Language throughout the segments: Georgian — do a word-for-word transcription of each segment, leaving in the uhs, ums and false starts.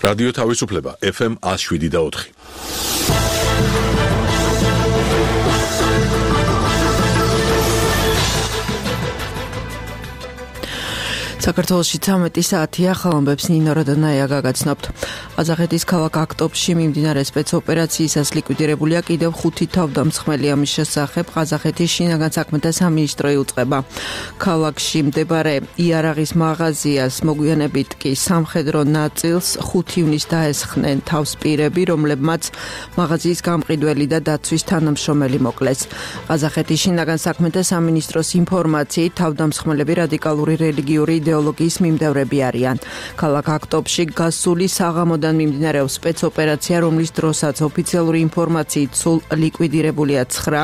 რადიო თავისუფლება ეფ ემ one oh seven და four. საქართველოში ცამეტი საათია, ხალხებს ნინო როდონაია გაგაცნობთ. ყაზახეთის ქალაქ აქტობში მიმდინარე სპეცოპერაციისას ლიკვიდირებულია კიდევ ხუთი თავდამსხმელი, ამის შესახებ ყაზახეთის შინაგან საქმეთა სამინისტრო იუწყება. ქალაქში მდებარე იარაღის მაღაზიას მოგვიანებით კი სამხედრო ნაწილს ხუთი ივნის დაესხნენ თავს პირები, რომლებმაც მაღაზიის გამყიდველი და დაცვის თანამშრომელი მოკლეს. ყაზახეთის შინაგან საქმეთა სამინისტროს ინფორმაციით თავდამსხმელები რადიკალური რელიგიური იდეოლოგიის მიმდევრები არიან. ქალაქ აქტობში გასული საღამოდან მიმდინარეობს სპეცოპერაცია, რომლის დროსაც ოფიციალური ინფორმაციით სულ ლიკვიდირებულია ცხრა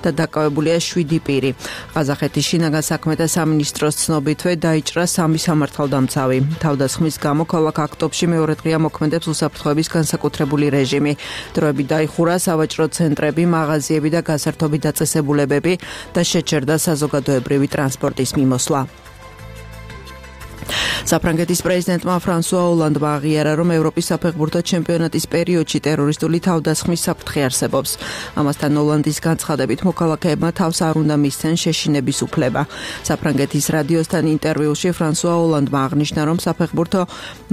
და დაკავებულია შვიდი პირი. ყაზახეთის შინაგან საქმეთა სამინისტროს ცნობითვე დაიჭრა სამი სამართალდამცავი. თავდასხმის გამო ქალაქ აქტობში მეორე დღეა მოქმედებს უსაფრთხოების განსაკუთრებული რეჟიმი. დროებით დაიხურა სავაჭრო ცენტრები, მაღაზიები და გასართობი დაწესებულებები და შეჩერდა საზოგადოებრივი ტრანსპორტის მიმოსვლა. საფრანგეთის პრეზიდენტმა ფრანსუა ოლანდმა აღიარა, რომ ევროპის საფეხბურთო ჩემპიონატის პერიოდში ტერორისტული თავდასხმის საფრთხე არსებობს. ამასთან ოლანდის განცხადებით მოქალაქეებმა თავს არ უნდა მისცენ შეშინების უფლება. საფრანგეთის რადიოსთან ინტერვიუში ფრანსუა ოლანდმა აღნიშნა, რომ საფეხბურთო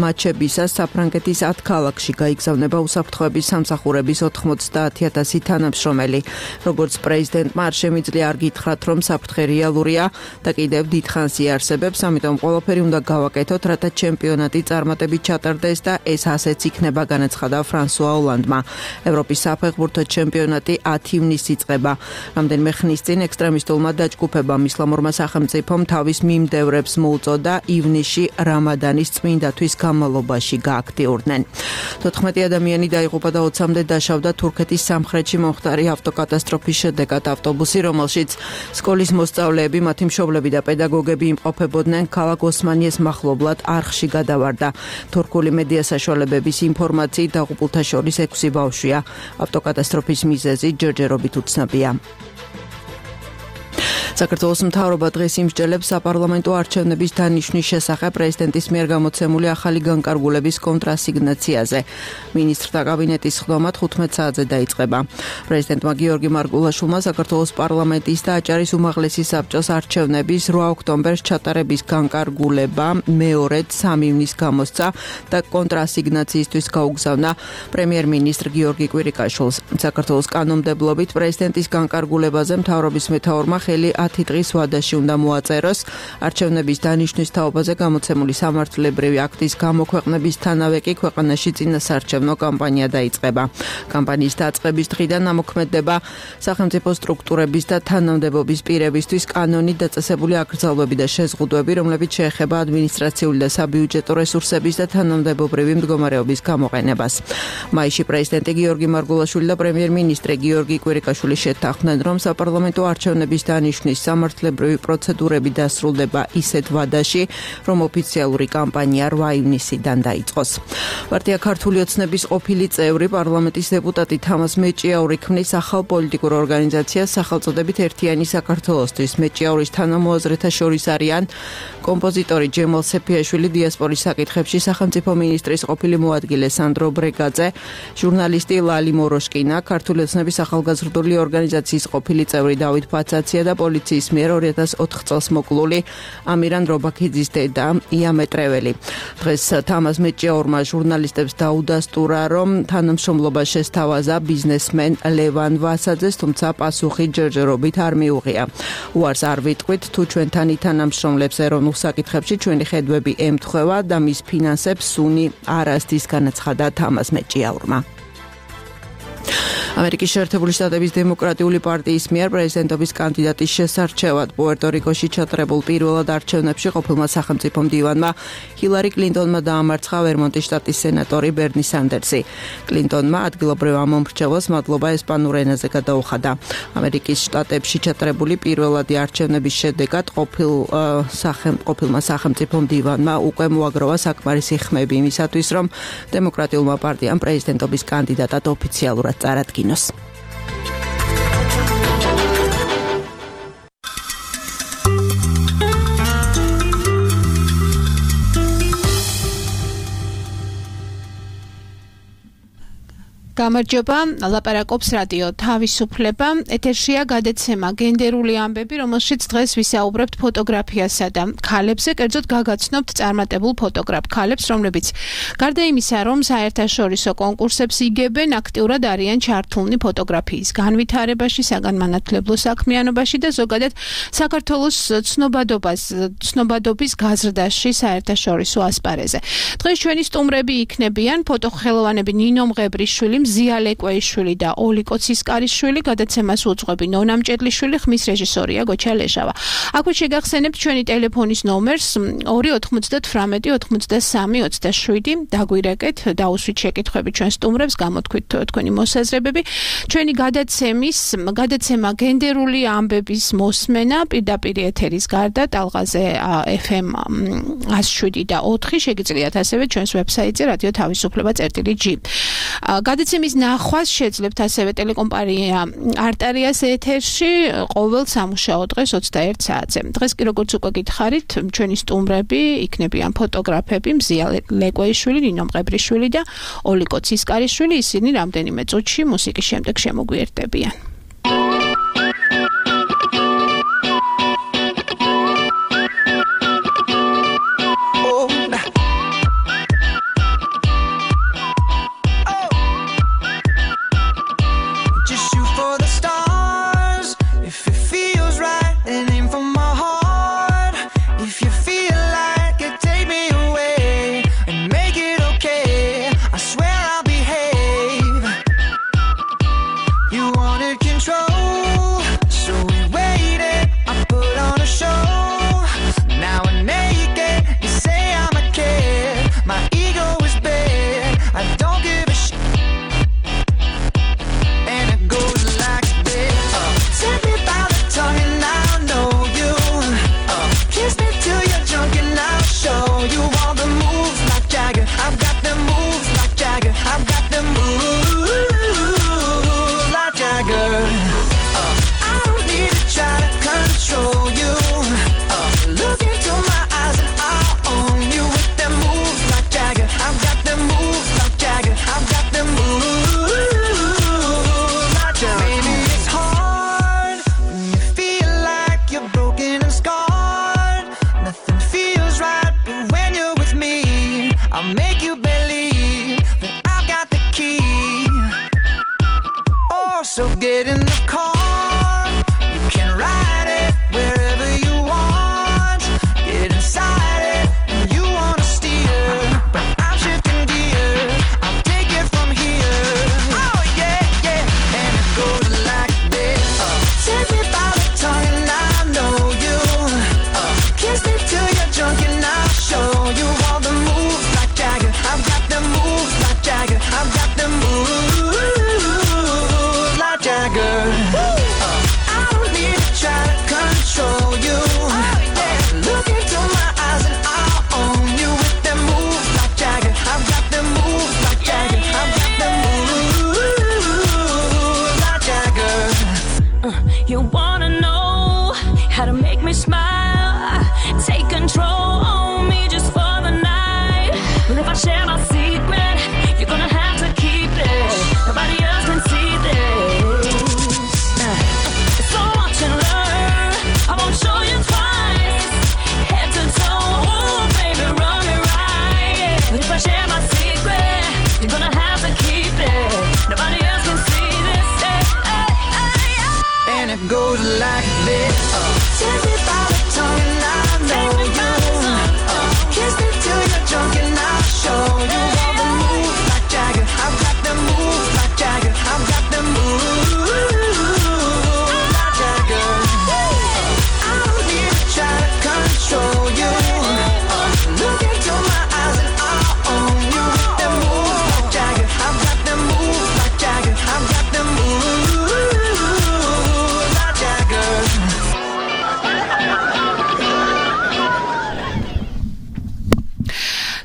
მატჩებისას საფრანგეთის ათ ქალაქში გაიგზავნება უსაფრთხოების სამსახურების ოთხმოცდაათი ათასი თანამშრომელი. როგორც პრეზიდენტმა არ შემიძლია არ გითხრათ, რომ საფრთხე რეალურია და კიდევ დიდხანს იარსებებს, ამიტომ ყველაფერი უნდა გავაკეთოთ, რათა ჩემპიონატი წარმატებით ჩატარდეს და ეს ასეც იქნება, განაცხადა ფრანსუა ოლანდმა. ევროპის საფეხბურთო ჩემპიონატი ათი ივნისს იწყება. რამდენიმე ხნის წინ ექსტრემისტულმა დაჯგუფებამ ისლამურმა სახელმწიფომ თავის მიმდევრებს მოუწოდა ივნისში რამადანის წმინდათვის განმავლობაში გააქტიურდნენ. თოთხმეტი ადამიანი დაიღუპა და ოცამდე დაშავდა თურქეთის სამხრეთში მომხდარი ავტოკატასტროფის შედეგად. ავტობუსი, რომელშიც სკოლის მოსწავლეები, მათი მშობლები და პედაგოგები იმყოფებოდნენ, ქალაქ ოსმანიეს მახლობლად არხში გადავარდა. თურქული მედია საშუალებების ინფორმაციით დაღუპულთა შორის ექვსი ბავშვია. ავტოკატასტროფის მიზეზი ჯერჯერობით უცნობია. საქართველოს მთავრობა დღეს იმსჯელებს საპარლამენტო არჩევნების დანიშვნის შესახებ პრეზიდენტის მიერ გამოცემული ახალი განკარგულების კონტრასიგნაციაზე. მინისტრთა კაბინეტის სხდომად ხუთმეტ საათზე დაიწყება. პრეზიდენტმა გიორგი მარგულაშვილმა საქართველოს პარლამენტის და აჭარის უმაღლესი საბჭოს არჩევნების რვა ოქტომბერს ჩატარების განკარგულება მეორედ სამი ივნის გამოსცა და კონტრასიგნაციისთვის გაუგზავნა პრემიერ-მინისტრ გიორგი კვირიკაშვილს. საქართველოს კანონმდებლობით პრეზიდენტის განკარგულებაზე მთავრობის მეთაურმა ხელი ათი დღის ვადაში უნდა მოაწეროს. არჩევნების დანიშვნის თაობაზე გამოცემული სამართლებრივი აქტის გამოქვეყნებისთანავე კი ქვეყანაში წინასაარჩევნო კამპანია დაიწყება. კამპანიის დაწყების დღიდან ამოქმედდება სახელმწიფო სტრუქტურების და თანამდებობის პირებისთვის კანონით დაწესებული აკრძალვები და შეზღუდვები, რომლებიც შეეხება ადმინისტრაციული და საბიუჯეტო რესურსების და თანამდებობრივი მდგომარეობის გამოყენებას. მაისში პრეზიდენტი გიორგი მარგულაშვილი და პრემიერ-მინისტრი გიორგი კვირიკაშვილი შეთანხმდნენ, რომ საპარლამენტო არჩევნების დანიშვნის სამართლებრივი პროცედურები დასრულდება ისეთ ვადაში, რომ ოფიციალური კამპანია რვა ივნისიდან დაიწყოს. პარტია ქართული ოცნების ყოფილი წევრი, პარლამენტის დეპუტატი თამაზ მეჭიაური ქმნის ახალ პოლიტიკურ ორგანიზაციას სახელწოდებით ერთიანი საქართველოსთვის. მეჭიაურის თანამოაზრეთა შორის არიან კომპოზიტორი ჯემალ სეფიაშვილი, დიასპორის საკითხებში სახელმწიფო მინისტრის ყოფილი მოადგილე სანდრო ბრეგაძე, ჟურნალისტი ლალი მოროშკინა, ქართული ოცნების ახალგაზრდული ორგანიზაციის ყოფილი წევრი დავით ფაცაცია და პოლიციის მიერ ორი ათას ოთხ წელს მოკლული ამირან რობაქიძის დედა იამე ტრეველი. დღეს თამაზ მეჭიაურმა ჟურნალისტებს დაუდასტურა, რომ თანამშრომლობა შესთავაზა ბიზნესმენ ლევან ვასაძეს, თუმცა პასუხი ჯერჯერობით არ მიუღია. უარს არ ვიტყვით, თუ ჩვენთან ითანამშრომლებს ეროვნულ საკითხებში, ჩვენი ხედვები ემთხვევა და მის ფინანსებს სუნი არ ასდის, განაცხადა თამაზ მეჭიაურმა. ამერიკის შეერთებული შტატების დემოკრატიული პარტიის მიერ პრეზიდენტობის კანდიდატის შესარჩევად პუერტო-რიკოში ჩატარებულ პირველად არჩევნებში ყოფილმა სახელმწიფო მდივანმა ჰილარი კლინტონმა დაამარცხა ვერმონტის შტატის სენატორი ბერნი სანდერსი. კლინტონმა ადგილობრივ ამომრჩევლს მადლობა ესპანურ ენაზე გადაუხადა. ამერიკის შტატებში ჩატარებული პირველადი არჩევნების შედეგად ყოფილ ყოფილმა სახელმწიფო მდივანმა უკვე მოაგროვა საკმარისი ხმები იმისათვის, რომ დემოკრატიულმა პარტიამ პრეზიდენტობის კანდიდატად ოფიციალურად წარადგინოს. გამარჯობა, ლაპარაკობს რადიო თავისუფლება. ეთერშია გადაცემა გენდერული ამბები, რომელშიც დღეს ვისაუბრებთ ფოტოგრაფიასა და ქალებზე, კერძოდ გაგაცნობთ წარმატებულ ფოტოგრაფ ქალებს, რომლებიც გარდა იმისა, რომ საერთაშორისო კონკურსებს იგებენ, აქტიურად არიან ჩართულნი ფოტოგრაფიის განვითარებაში, საგანმანათლებლო საქმიანობაში და ზოგადად საქართველოს ცნობადობას, ცნობადობის გაზრდაში საერთაშორისო ასპარეზზე. დღეს ჩვენი სტუმრები იქნებიან ფოტოხელოვანები ნინო მღებრიშვილი, მზია ლეკვეიშვილი და ოლიკო ცისკარიშვილი, გადაცემას უძღვები ნონა მჭედლიშვილი, ხმის რეჟისორია გოჩა ლეჟავა. აქვე შეგახსენებთ ჩვენი ტელეფონის ნომერს ორი ოთხმოცდათვრამეტი ოცდასამი ოცდაშვიდი, დაგვირეკეთ, დაუსვით შეკითხვები ჩვენ სტუმრებს, გამოთქვით თქვენი მოსაზრებები. ჩვენი გადაცემის, გადაცემა გენდერული ამბების მოსმენა პირდაპირ ეთერის გარდა ტალღაზე ეფ ემ ათას შვიდი და ოთხი შეგიძლიათ ასევე ჩვენს ვებსაიტზე რადიო თავისუფლება წერტილი ჯი. გადაცემის ნახვას შეძლებთ ასევე ტელეკომპანია არტარიას ეთერში ყოველ სამუშაო დღეს ოცდაერთ საათზე. დღეს კი როგორც უკვე გითხარით, ჩვენი სტუმრები იქნებიან ფოტოგრაფები მზია ლეკვეიშვილი, ნინო მღებრიშვილი და ოლიკო ცისკარიშვილი, ისინი რამდენიმე წუთში მუსიკის შემდეგ შემოგვიერთდებიან.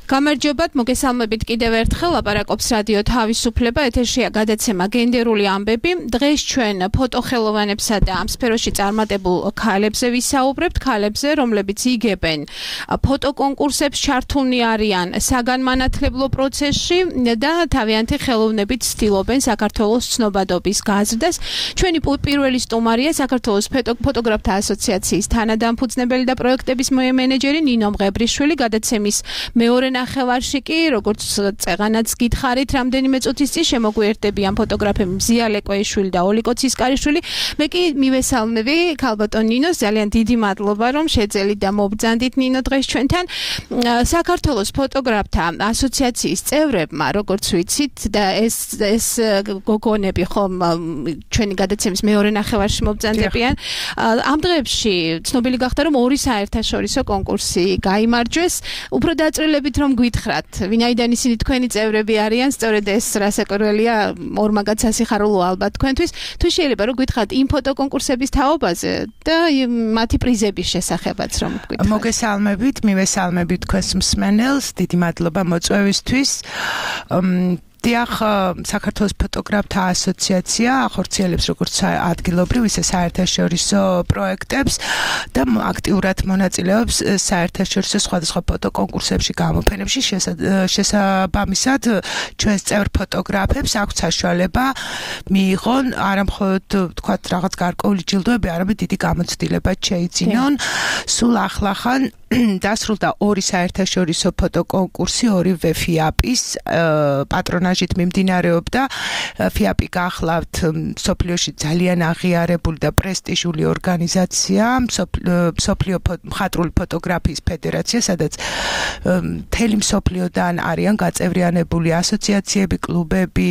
გამარჯობათ, მოგესალმებით კიდევ ერთხელ ლაპარაკობს რადიო თავისუფლება, ეთერშია გადაცემა გენდერული ამბები. დღეს ჩვენ ფოტოხელოვანებსა და ამ სფეროში წარმატებულ ქალებზე ვისაუბრებთ, ქალებზე, რომლებიც იგებენ ფოტოკონკურსებს, ჩართულნი არიან საგანმანათლებლო პროცესში და თავიანთი ხელოვნებით ცდილობენ საქართველოს ცნობადობის გაზრდას. ჩვენი პირველი სტუმარია საქართველოს ფოტოგრაფთა ასოციაციის თანადამფუძნებელი და პროექტების მენეჯერი ნინო მღებრიშვილი, გადაცემის მეორე ნახევარში კი, როგორც წეღანაც გითხარით, რამდენიმე წუთის წინ შემოგვიერთდებიან ფოტოგრაფები მზია ლეკვეიშვილი და ოლიკო ცისკარიშვილი. მე კი მივესალმები ქალბატონ ნინოს, ძალიან დიდი მადლობა, რომ შეძელით და მობრძანდით ნინო დღეს ჩვენთან. საქართველოს ფოტოგრაფთა ასოციაციის წევრებმა, როგორც ვიცით, და ეს ეს გოგონები ხომ ჩვენი გადაცემის მეორე ნახევარში მობრძანდებიან. ამ დღეებში ცნობილი გახდა, რომ ორი საერთაშორისო კონკურსი გაიმარჯვეს. უფრო დაწვრილებით რომ გითხრათ, ვინაიდან ისინი თქვენი წევრები არიან, სწორედ ეს რასაკვირველია, ორმაგად სასიხარულო ალბათ თქვენთვის. თუ შეიძლება რომ გითხრათ იმ ფოტოკონკურსების თაობაზე და მათი პრიზების შესახებაც რომ გითხრათ. მოგესალმებით, მივესალმებით თქვენს მსმენელს, დიდი მადლობა მოწვევისთვის. დიახ, საქართველოს ფოტოგრაფთა ასოციაცია ახორციელებს როგორც ადგილობრივ, ისე საერთაშორისო პროექტებს და აქტიურად მონაწილეობს საერთაშორისო სხვადასხვა ფოტოკონკურსებში, გამოფენებში. შესაბამისად, ჩვენს წევრ ფოტოგრაფებს აქვს საშუალება მიიღონ არა მხოლოდ თქვათ რაღაც გარკვეული ჯილდოები, არამედ დიდი გამოცდილება შეიძინონ. სულ ახლახან დასრულდა ორი საერთაშორისო ფოტოკონკურსი, ორივე ფიაპის პატრონაჟით მიმდინარეობდა. ფიაპი გახლავთ მსოფლიოში ძალიან აღიარებული და პრესტიჟული ორგანიზაცია, მსოფლიო მხატვრული ფოტოგრაფიის ფედერაცია, სადაც მთელი მსოფლიოდან არიან გაწევრიანებული ასოციაციები, კლუბები,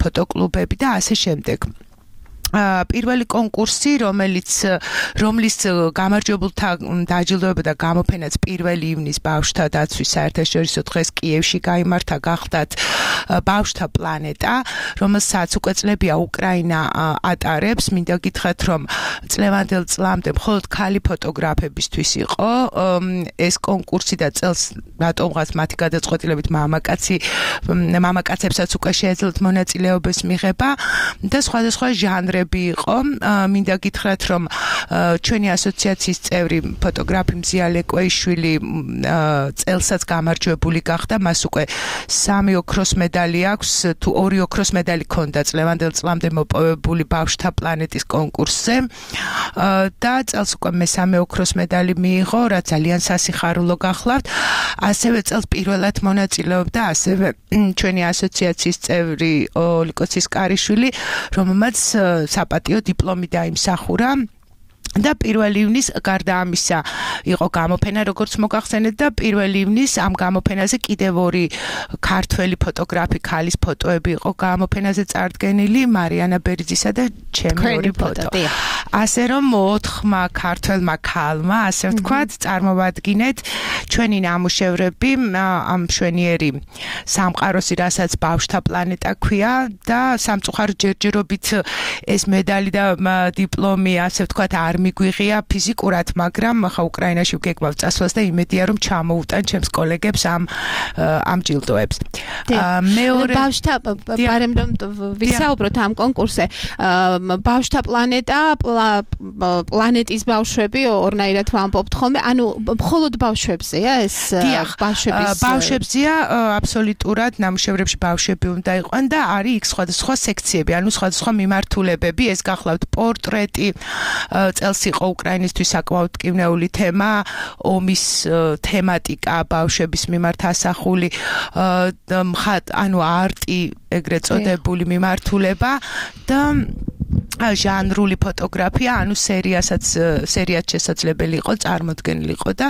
ფოტოკლუბები და ასე შემდეგ. პირველი კონკურსი, რომელიც რომლის გამარჯვებულთა დაჯილდოება და გამოფენაც პირველი ივნის ბავშვთა დაცვის საერთაშორისო დღეს კიევში გაიმართა, გახდათ ბავშვთა პლანეტა, რომელსაც უკვე წლებია უკრაინა ატარებს. მინდა გითხრათ, რომ წლევანდელ წლამდე მხოლოდ ქალი ფოტოგრაფებისთვის იყო ეს კონკურსი და წელს რატომღაც მათი გადაწყვეტილებით მამაკაცი მამაკაცებსაც უკვე შეეძლოთ მონაწილეობის მიღება და სხვადასხვა ჟანრები იყო. მინდა გითხრათ, რომ ჩვენი ასოციაციის წევრი ფოტოგრაფი მზია ლეკვეიშვილი წელსაც გამარჯვებული გახდა, მას უკვე სამი ოქროს მედალი აქვს, თუ ორი ოქროს მედალი ჰქონდა წლევანდელ წლამდე მოპოვებული ბავშვთა პლანეტის კონკურსზე და წელს უკვე მესამე ოქროს მედალი მიიღო, რა ძალიან სასიხარულო გახლავთ. ასევე წელს პირველად მონაწილეობდა ასევე ჩვენი ასოციაციის წევრი ოლიკო ცისკარიშვილი, რომელმაც საპატიო დიპლომი დაიმსახურა. და პირველი ივნის გარდა ამისა იყო გამოფენა, როგორც მოგახსენეთ, და პირველი ივნის ამ გამოფენაზე კიდევ ორი ქართველი ფოტოგრაფი, ქალის ფოტოები იყო გამოფენაზე წარდგენილი, მარიანა ბერძისა და ჩემი ორი ფოტო. ასე რომ ოთხმა ქართველმა ქალმა, ასე ვთქვათ, წარმოვადგინეთ ჩვენი ნამუშევრები ამ მშვენიერი სამყაროსი, რასაც ბავშვთა პლანეტა ქვია და სამწუხაროდ ჯერჯერობით ეს მედალი და დიპლომი, ასე ვთქვათ, არ მიგვიღია ფიზიკურად, მაგრამ ახლა უკრაინაში ვგეგმავ წასვლას და იმედია, რომ ჩამოუტან ჩემს კოლეგებს ამ ამ ჯილდოებს. მეორე ბავშვთა ბარემ რომ ვისაუბროთ ამ კონკურსზე, ბავშვთა პლანეტა, პლანეტის ბავშვები, ორნაირად ვამბობთ ხოლმე, ანუ მხოლოდ ბავშვებზეა ეს ბავშვების ბავშვებზეა, აბსოლუტურად ნამუშევრებში ბავშვები უნდა იყვნენ და არის იქ სხვადასხვა სექციები, ანუ სხვადასხვა მიმართულებები, ეს გახლავთ პორტრეტი, წელს იყო უკრაინისთვის საკმაოდ მტკივნეული თემა, ომის თემატიკა ბავშვების მიმართ ასახული, ანუ არტი, ეგრეთ წოდებული მიმართულება და ჟანრული ფოტოგრაფია, ანუ სერიასაც სერიაც შესაძლებელი იყო, წარმოდგენილი იყო და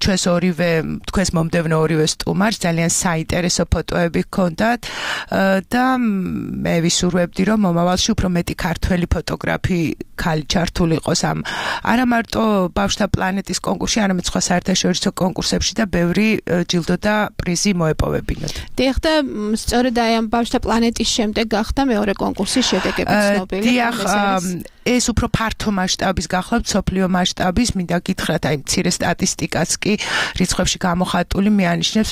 ჩვენს ორივე, თქვენს მომდევნო ორივე სტუმარს ძალიან საინტერესო ფოტოები ჰქონდათ და მე ვისურვებდი, რომ მომავალში უფრო მეტი ქართველი ფოტოგრაფი ქალი ჩართული იყოს ამ არა მარტო ბავშვთა პლანეტის კონკურსში, არამედ სხვა საერთაშორისო კონკურსებში და ბევრი ჯილდო და პრიზი მოეპოვებინოთ. დიახ, და სწორედ აი ამ ბავშვთა პლანეტის შემდეგ გახდა მეორე კონკურსის შედეგები ცნობილი. ცნობილი. დიახ, ეს უფრო ფართო მასშტაბის გახლავთ, სოფლიო მასშტაბის, მინდა გითხრათ, აი მცირე სტატისტიკაც კი რიცხვებში გამოხატული მეანიშნებს,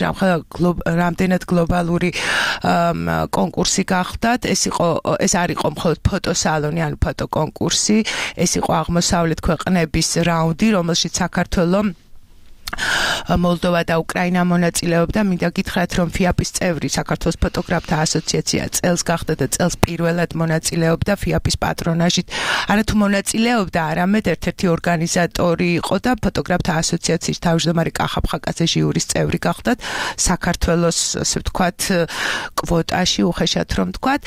რამდენად გლობალური კონკურსი გახდათ. ეს იყო ეს არ იყო მხოლოდ ფოტოსალონი, ანუ ფოტოკონკურსი, ეს იყო აღმოსავლეთ ქვეყნების რაუნდი, რომელშიც საქართველოს მოლდოვა და უკრაინა მონაწილეობდა. მინდა გითხრათ, რომ ფიაპის წევრი საქართველოს ფოტოგრაფთა ასოციაცია წელს გახდა და წელს პირველად მონაწილეობდა ფიაპის პატრონაჟით. არათუ მონაწილეობდა, არამედ ერთ-ერთი ორგანიზატორი იყო და ფოტოგრაფთა ასოციაციის თავმჯდომარე კახა ფხაკაძე ჟიურის წევრი გახდათ საქართველოს, ასე ვთქვათ, კვოტაში, უხეშად რომ ვთქვათ,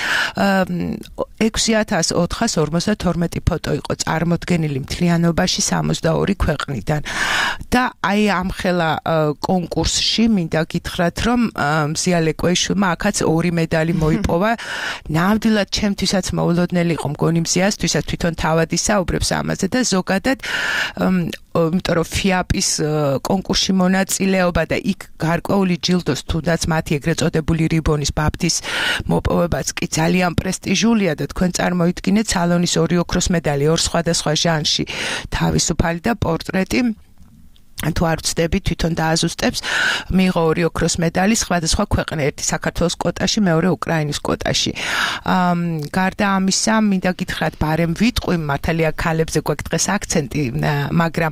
ექვსი ათას ოთხას ორმოცდათორმეტი ფოტო იყო წარმოდგენილი მთლიანობაში სამოცდაორი ქვეყნიდან. და აი ამ ხელა კონკურსში მინდა გითხრათ, რომ მზია ლეკვეიშვილმა აქაც ორი მედალი მოიპოვა. ნამდვილად ჩემთვისაც მოულოდნელი იყო მგონი მზიასთვისაც, თვითონ თავად ისაუბრებს ამაზე და ზოგადად იმიტომ რომ ფიაპის კონკურსში მონაწილეობა და იქ გარკვეული ჯილდოს, თუნდაც მათი ეგრეთ წოდებული რიბონის ბაფტის მოპოვებაც კი ძალიან პრესტიჟულია და თქვენ წარმოიდგინეთ სალონის ორი ოქროს მედალი ორ სხვადასხვა ჟანრში, თავისუფალი და პორტრეტი. თუ არ ვცდები, თვითონ დააზუსტებს, მიიღო ორი ოქროს მედალი სხვადასხვა ქვეყნა, ერთი საქართველოს კვოტაში, მეორე უკრაინის კვოტაში. გარდა ამისა, მინდა გითხრათ, ბარემ ვიტყვი, მართალია ქალებზე გვაქვს დღეს აქცენტი, მაგრამ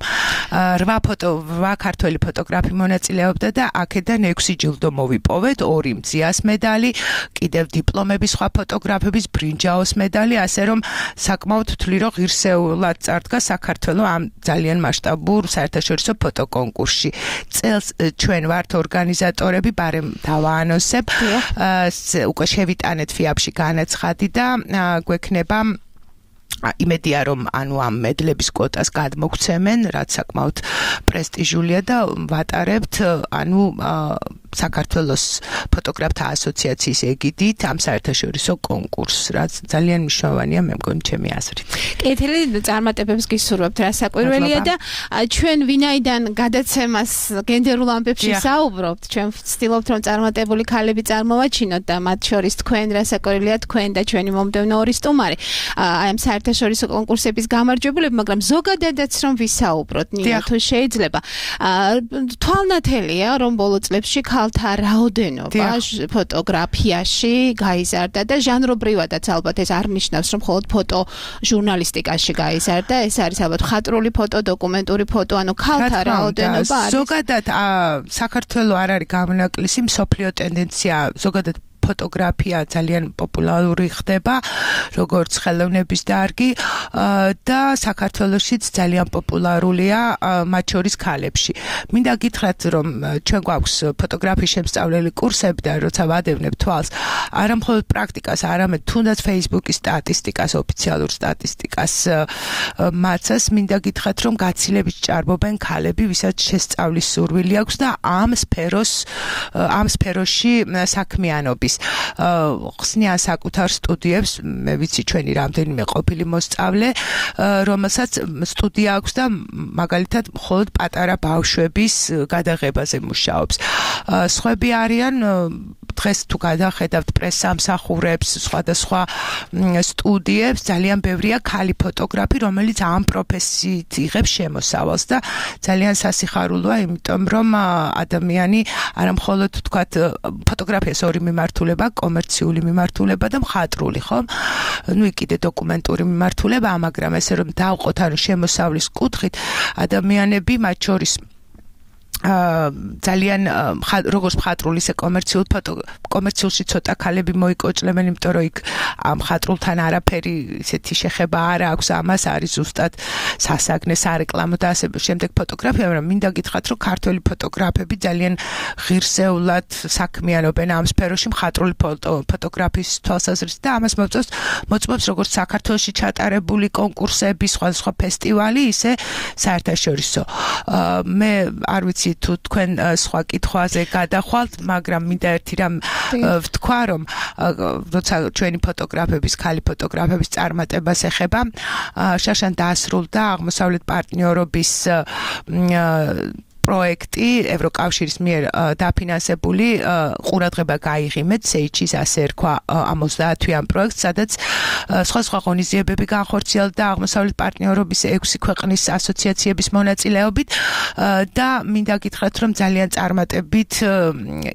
რვა ფოტო, რვა ქართველი ფოტოგრაფი მონაწილეობდა და აქედან ექვსი ჯილდო მოვიპოვეთ, ორი მძიას მედალი, კიდევ დიპლომები სხვა ფოტოგრაფების, ბრინჯაოს მედალი, ასე რომ საკმაოდ ვთვლი, რომ ღირსეულად წარდგა საქართველოს ამ ძალიან მასშტაბურ საერთაშორისო კონკურსში. წელს ჩვენ ვართ ორგანიზატორები, ბარემ დავაანონსებ, უკვე შევიტანეთ ფიაპში განაცხადი და გვექნება იმედია, რომ ანუ ამ მედლების კვოტას გადმოგცემენ, რაც საკმაოდ პრესტიჟულია და ვატარებთ ანუ საქართველოს ფოტოგრაფთა ასოციაციის ეგიდით ამ საერთაშორისო კონკურსს, რაც ძალიან მნიშვნელოვანია, მე მგონი ჩემი აზრით. კეთილი წარმატებებს გისურვებთ, რა საკვირველია და ჩვენ ვინაიდან გადაცემას გენდერულ ამბებში საუბრობთ, ჩვენ ვცდილობთ, რომ წარმატებული ქალები წარმოვაჩინოთ და მათ შორის თქვენ, რა საკვირველია თქვენ და ჩვენი მომდევნო ორი სტუმარი. აი ამ საერთაშორისო კონკურსების გამარჯვებულები, მაგრამ ზოგადადაც რომ ვისაუბროთ, ნინა, თუ შეიძლება. თვალნათელია, რომ ბოლო წლებში ქალთა რაოდენობა ფოტოგრაფიაში გაიზარდა და ჟანრობრივადაც ალბათ ეს არ ნიშნავს, რომ მხოლოდ ფოტო ჟურნალისტიკაში გაიზარდა, ეს არის ალბათ მხატვრული ფოტო, დოკუმენტური ფოტო, ანუ ქალთა რაოდენობა არის. ზოგადად საქართველოს არ არის გამონაკლისი, მსოფლიო ტენდენცია ზოგადად ფოტოგრაფია ძალიან პოპულარული ხდება, როგორც ხელოვნების დარგი და საქართველოშიც ძალიან პოპულარულია მათ შორის ქალებში. მინდა გითხრათ, რომ ჩვენ გვაქვს ფოტოგრაფიის შემსწავლელი კურსები და როცა ვადევნებ თვალს, არა მხოლოდ პრაქტიკას, არამედ თუნდაც Facebook-ის სტატისტიკას, ოფიციალურ სტატისტიკას მაცას, მინდა გითხრათ, რომ გაცილებით ჭარბობენ ქალები, ვისაც შესწავლის სურვილი აქვს და ამ სფეროს ამ სფეროში საქმიანობის ხსნიან საკუთარ სტუდიებს, მე ვიცი ჩვენი რამდენიმე ყოფილი მოსწავლე, რომელსაც სტუდია აქვს და მაგალითად მხოლოდ პატარა ბავშვების გადაღებაზე მუშაობს. სხვები არიან დღეს თუ გადახედავთ პრესსამსახურებს, სხვადასხვა სტუდიებს, ძალიან ბევრია ქალი ფოტოგრაფი, რომელიც ამ პროფესიით იღებს შემოსავალს და ძალიან სასიხარულოა, იმიტომ რომ ადამიანი არა მხოლოდ თქვათ ფოტოგრაფიას ორი მიმართულება, კომერციული მიმართულება და მხატვრული, ხო? ნუ კიდე დოკუმენტური მიმართულება, მაგრამ ესე რომ დავყოთ ანუ შემოსავლის კუთხით, ადამიანები მათ შორის ძალიან როგორც მხატვრული, ისე კომერციულ ფოტო კომერციულში ცოტა ქალები მოიკოჭლებენ, იმიტომ რომ იქ მხატრულთან არაფერი ისეთი შეხება არ აქვს, ამას არის ზუსტად სასაგნე, სარეკლამო და ასე შემდეგ ფოტოგრაფია, მაგრამ მინდა გითხრათ, რომ ქართველი ფოტოგრაფები ძალიან ღირსეულად საქმიანობენ ამ სფეროში მხატვრული ფოტოგრაფიის თვალსაზრისით და ამას მოწევს მოწმობს როგორც საქართველოში ჩატარებული კონკურსები, სხვადასხვა ფესტივალი, ისე საერთაშორისო. მე არ ვიცი თუ თქვენ სხვა კითხვაზე გადახვალთ, მაგრამ მინდა ერთი რამ ვთქვა, რომ როცა ჩვენი ფოტოგრაფების, ქალი ფოტოგრაფების წარმატებას ეხება, შაშან დაასრულდა აღმოსავლეთ პარტნიორობის პროექტი ევროკავშირის მიერ დაფინანსებული ყურადღება გაიღიმეთ სეიჩის ასე ერქვა ორმოცდაათვიან პროექტს, სადაც სხვა სხვა ღონისძიებები განხორციელდა აღმოსავლეთ პარტნიორობის ექვსი ქვეყნის ასოციაციების მონაწილეობით და მინდა გითხრათ, რომ ძალიან წარმატებით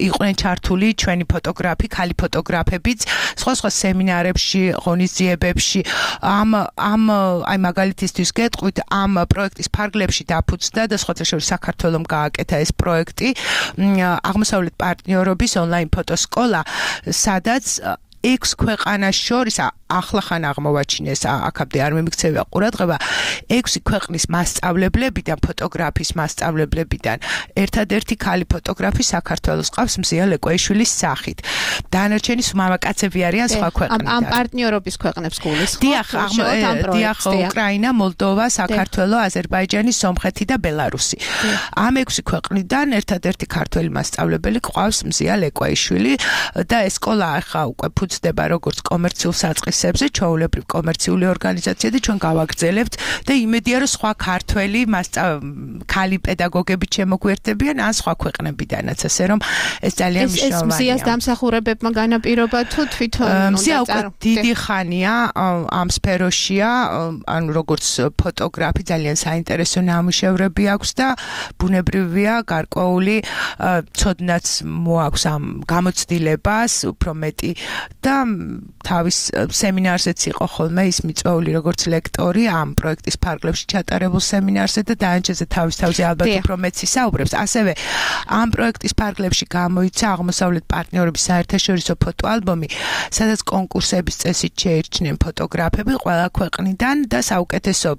იყვნენ ჩართული ჩვენი ფოტოგრაფი, ქალი ფოტოგრაფებიც სხვა სხვა სემინარებში, ღონისძიებებში. ამ ამ აი მაგალითისთვის გეტყვით, ამ პროექტის ფარგლებში დაფუძნდა და სხვათა შორის საქართველომ გააკეთა ეს პროექტი აღმოსავლეთ პარტნიორობის ონლაინ ფოტოსკოლა, სადაც ექვს ქვეყანას შორის ახლახან აღმოვაჩინეს, აქამდე არ მიმიქცევა ყურადღება, ექვსი ქვეყნის მასწავლებლებიდან, ფოტოგრაფის მასწავლებლებიდან ერთადერთი ქალი ფოტოგრაფი საქართველოს ყავს მზია ლეკვეიშვილის სახით. დანარჩენი მამაკაცები არიან სხვა ქვეყნიდან. ამ პარტნიორობის ქვეყნებს გულისხმობთ? დიახ, დიახ, უკრაინა, მოლდოვა, საქართველო, აზერბაიჯანი, სომხეთი და ბელარუსი. ამ ექვსი ქვეყნიდან ერთადერთი ქართველი მასწავლებელი ყავს მზია ლეკვეიშვილი და ეს სკოლა ახლა უკვე ფუძდება როგორც კომერციულ საწყის ჩვეულებრივ კომერციული ორგანიზაცია და ჩვენ გავაგრძელებთ და იმედია, რომ სხვა ქართველი ქალი პედაგოგები შემოგვერთებიან ან სხვა ქვეყნებიდანაც, ასე რომ ეს ძალიან მნიშვნელოვანია. ეს მზიას დამსახურებებმა განაპირობა თუ თვითონ მზია უკვე დიდი ხანია ამ სფეროშია, ანუ როგორც ფოტოგრაფი ძალიან საინტერესო ნამუშევრები აქვს და ბუნებრივია გარკვეული ცოდნაც მოაქვს ამ გამოცდილებას, უფრო მეტი და თავის სემინარზეც იყო ხოლმე ის მიწვეული როგორც ლექტორი ამ პროექტის ფარგლებში ჩატარებულ სემინარზე და დაანჩეზე თავის თავზე ალბათ უფრო მეც ისაუბრებს. ასევე ამ პროექტის ფარგლებში გამოიცა აღმოსავლეთ პარტნიორობის საერთაშორისო ფოტოალბომი, სადაც კონკურსების წესით შეირჩნენ ფოტოგრაფები ყველა ქვეყნიდან და საუკეთესო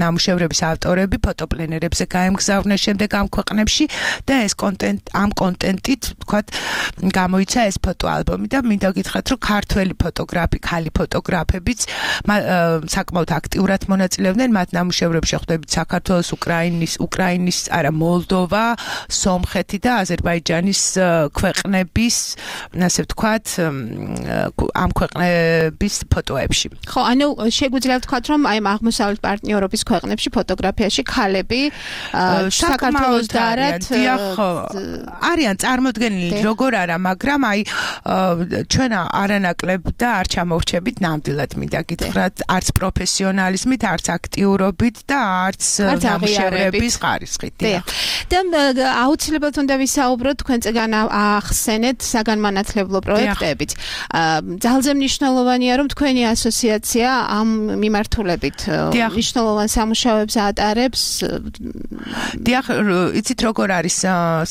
ნამუშევრების ავტორები ფოტოპლენერებზე გაემგზავრნენ შემდეგ ამ ქვეყნებში და ეს კონტენტ ამ კონტენტით თქვათ გამოიცა ეს ფოტოალბომი და მინდა გითხრათ, რომ ქართველი ფოტოგრაფი, ქალი ფოტოგრაფებიც საკმაოდ აქტიურად მონაწილეობდნენ მათ ნამუშევრებში, ხვდებით საქართველოს, უკრაინის, უკრაინის, არა, მოლდოვა, სომხეთი და აზერბაიჯანის ქვეყნების, ასე ვთქვათ, ამ ქვეყნების ფოტოებში. ხო, ანუ შეგვიძლია ვთქვათ, რომ აი აღმოსავლეთ პარტნიორობის ქვეყნებში ფოტოგრაფიაში ქალები საქართველოს და არათ არიან წარმოდგენილი, როგორ არა, მაგრამ აი ჩვენ არანაკლებ და არ ჩამოვრჩებით ნამდვილად მინდა გითხრათ, არც პროფესიონალიზმით, არც აქტიურობით და არც ნამუშევრების ხარისხით. და აუცილებლად უნდა ვისაუბროთ, თქვენ წეგან ახსენეთ საგანმანათლებლო პროექტებით. ძალზე მნიშვნელოვანია, რომ თქვენი ასოციაცია ამ მიმართულებით მნიშვნელოვან სამუშაოებს ატარებს. დიახ, იცით როგორ არის,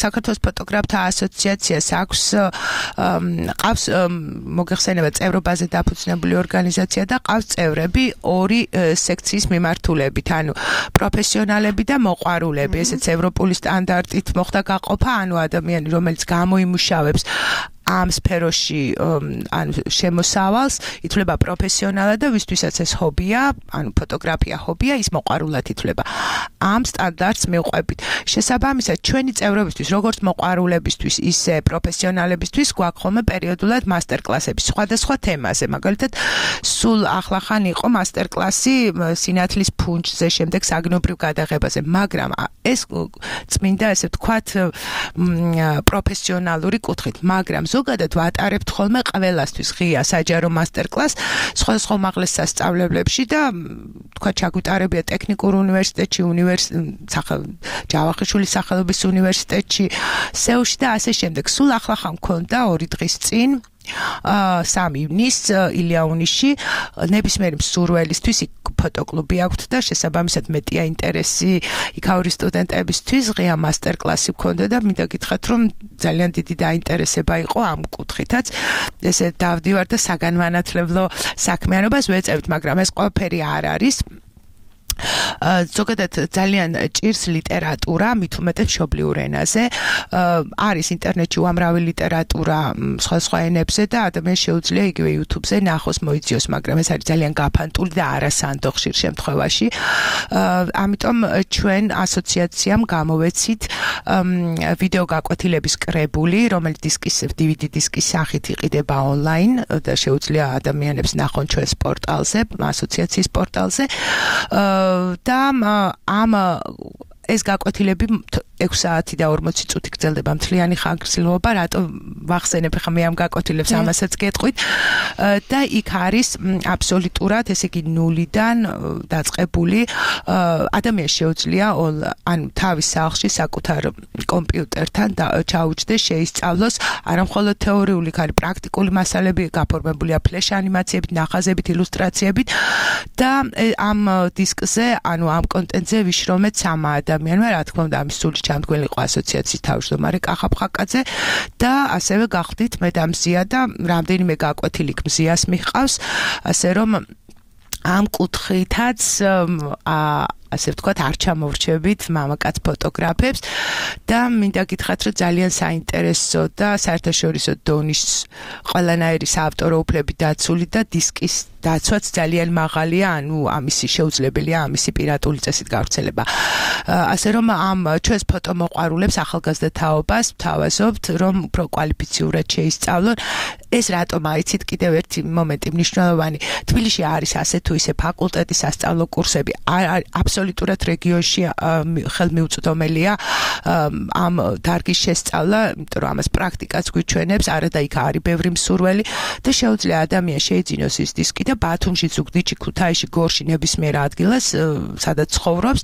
საქართველოს ფოტოგრაფთა ასოციაციას აქვს ყავს მოგეხსენება წევრობაზე დაფუძნებული ორგანიზაცია და ყავს წევრები ორი სექციის მიმართულებით, ანუ პროფესიონალები და მოყვარულები, ესეც ევროპული სტანდარტით მოხდა გაყოფა, ანუ ადამიანი, რომელიც გამოიმუშავებს ამ სფეროში ან შემოსავალს ითვლება პროფესიონალად და ვისთვისაც ეს ჰობია, ანუ ფოტოგრაფია ჰობია, ის მოყვარულად ითვლება. ამ სტანდარტს მივყვებით. შესაბამისად, ჩვენი წევრებისთვის, როგორც მოყვარულებისთვის, ისე პროფესიონალებისთვის გვაქვს ხოლმე პერიოდულად მასტერკლასები სხვადასხვა თემაზე. მაგალითად, სულ ახლახან იყო მასტერკლასი სინათლის ფუნჯზე, შემდეგ საგნობრივ გადაღებაზე, მაგრამ ეს წმინდა, ესე ვთქვათ, პროფესიონალური კუთხით, მაგრამ ზოგადად ვატარებთ ხოლმე ყველასთვის ღია საჯარო მასტერკლას სხვადასხვა უმაღლეს სასწავლებლებში და თქვა ჩაგვიტარებია ტექნიკურ უნივერსიტეტში, ჯავახიშვილის სახელობის უნივერსიტეტში, სეულში და ასე შემდეგ. სულ ახლახან მქონდა ორი დღის წინ სამი ივნის ილიაუნიში ნებისმიერი მსურველისთვის ფოტოკლუბი აქვს და შესაბამისად მეტია ინტერესი იქაური სტუდენტებისთვის ღია მასტერკლასი მქონდა და მინდა გითხრათ, რომ ძალიან დიდი დაინტერესება იყო ამ კუთხითაც. ესე დავდივარ და საგანმანათლებლო საქმიანობას ვეწევთ, მაგრამ ეს ყველაფერი არ არის. ზოგადად ძალიან ჭირს ლიტერატურა, მით უმეტეს მშობლიურ ენაზე. არის ინტერნეტში უამრავი ლიტერატურა სხვადასხვა ენებზე და ადამიანს შეუძლია იგივე YouTube-ზე ნახოს, მოიძიოს, მაგრამ ეს არის ძალიან გაფანტული და არასანდო ხშირ შემთხვევაში. ამიტომ ჩვენ ასოციაციამ გამოვეცით ვიდეო გაკვეთილების კრებული, რომელიც დისკის დი ვი დი დისკის სახით იყიდება ონლაინ და შეუძლია ადამიანებს ნახონ ჩვენს პორტალზე, ასოციაციის პორტალზე. და ამ ეს გაკვეთილები ექვსი საათი და ორმოცი წუთი გრძელდება მთლიანი ხანგრძლივობა, რატომ ვახსენებ ხა მე ამ გაკოთილებს ამასაც გეტყვით და იქ არის აბსოლუტურად, ესე იგი ნულიდან დაწყებული ადამიანს შეუძლია ანუ თავის სახლში საკუთარ კომპიუტერთან და ჩაუჯდეს, შეისწავლოს არა მხოლოდ თეორიული, ხარი პრაქტიკული მასალები გაფორმებულია ფლეშ ანიმაციებით, ნახაზებით, ილუსტრაციებით და ამ დისკზე, ანუ ამ კონტენტზე ვიშრომეთ სამა ადამიანმა, რა თქმა უნდა, ამის სული ჩამდგმელი იყო ასოციაციის თავმჯდომარე კახა ფხაკაძე და ასევე გახდით მე და მზია და რამდენიმე გაკვეთილი მზიას მიჰყავს, ასე რომ ამ კუთხითაც ასე ვთქვათ, არ ჩამოვრჩებით მამაკაც ფოტოგრაფებს და მინდა გითხრათ, რომ ძალიან საინტერესო და საერთაშორისო დონის ყველანაირი საავტორო უფლები დაცული და დისკის დაცვაც ძალიან მაღალია, ანუ ამისი შეუძლებელია ამისი პირატული წესით გავრცელება. ასე რომ ამ ჩვენს ფოტომოყვარულებს ახალგაზრდა თაობას ვთავაზობთ, რომ უფრო კვალიფიციურად შეისწავლონ. ეს რატომ აიცით კიდევ ერთი მომენტი მნიშვნელოვანი. თბილისში არის ასე თუ ისე ფაკულტეტი, სასწავლო კურსები, აბსოლუტურად რეგიონში ხელმიუწვდომელია ამ დარგის შესწავლა, იმიტომ რომ ამას პრაქტიკაც გვიჩვენებს, არა და იქ არის ბევრი მსურველი და შეუძლია ადამიანს შეიძინოს ის დისკი და ბათუმში, ზუგდიდში, ქუთაისში, გორში ნებისმიერ ადგილას, სადაც ცხოვრობს,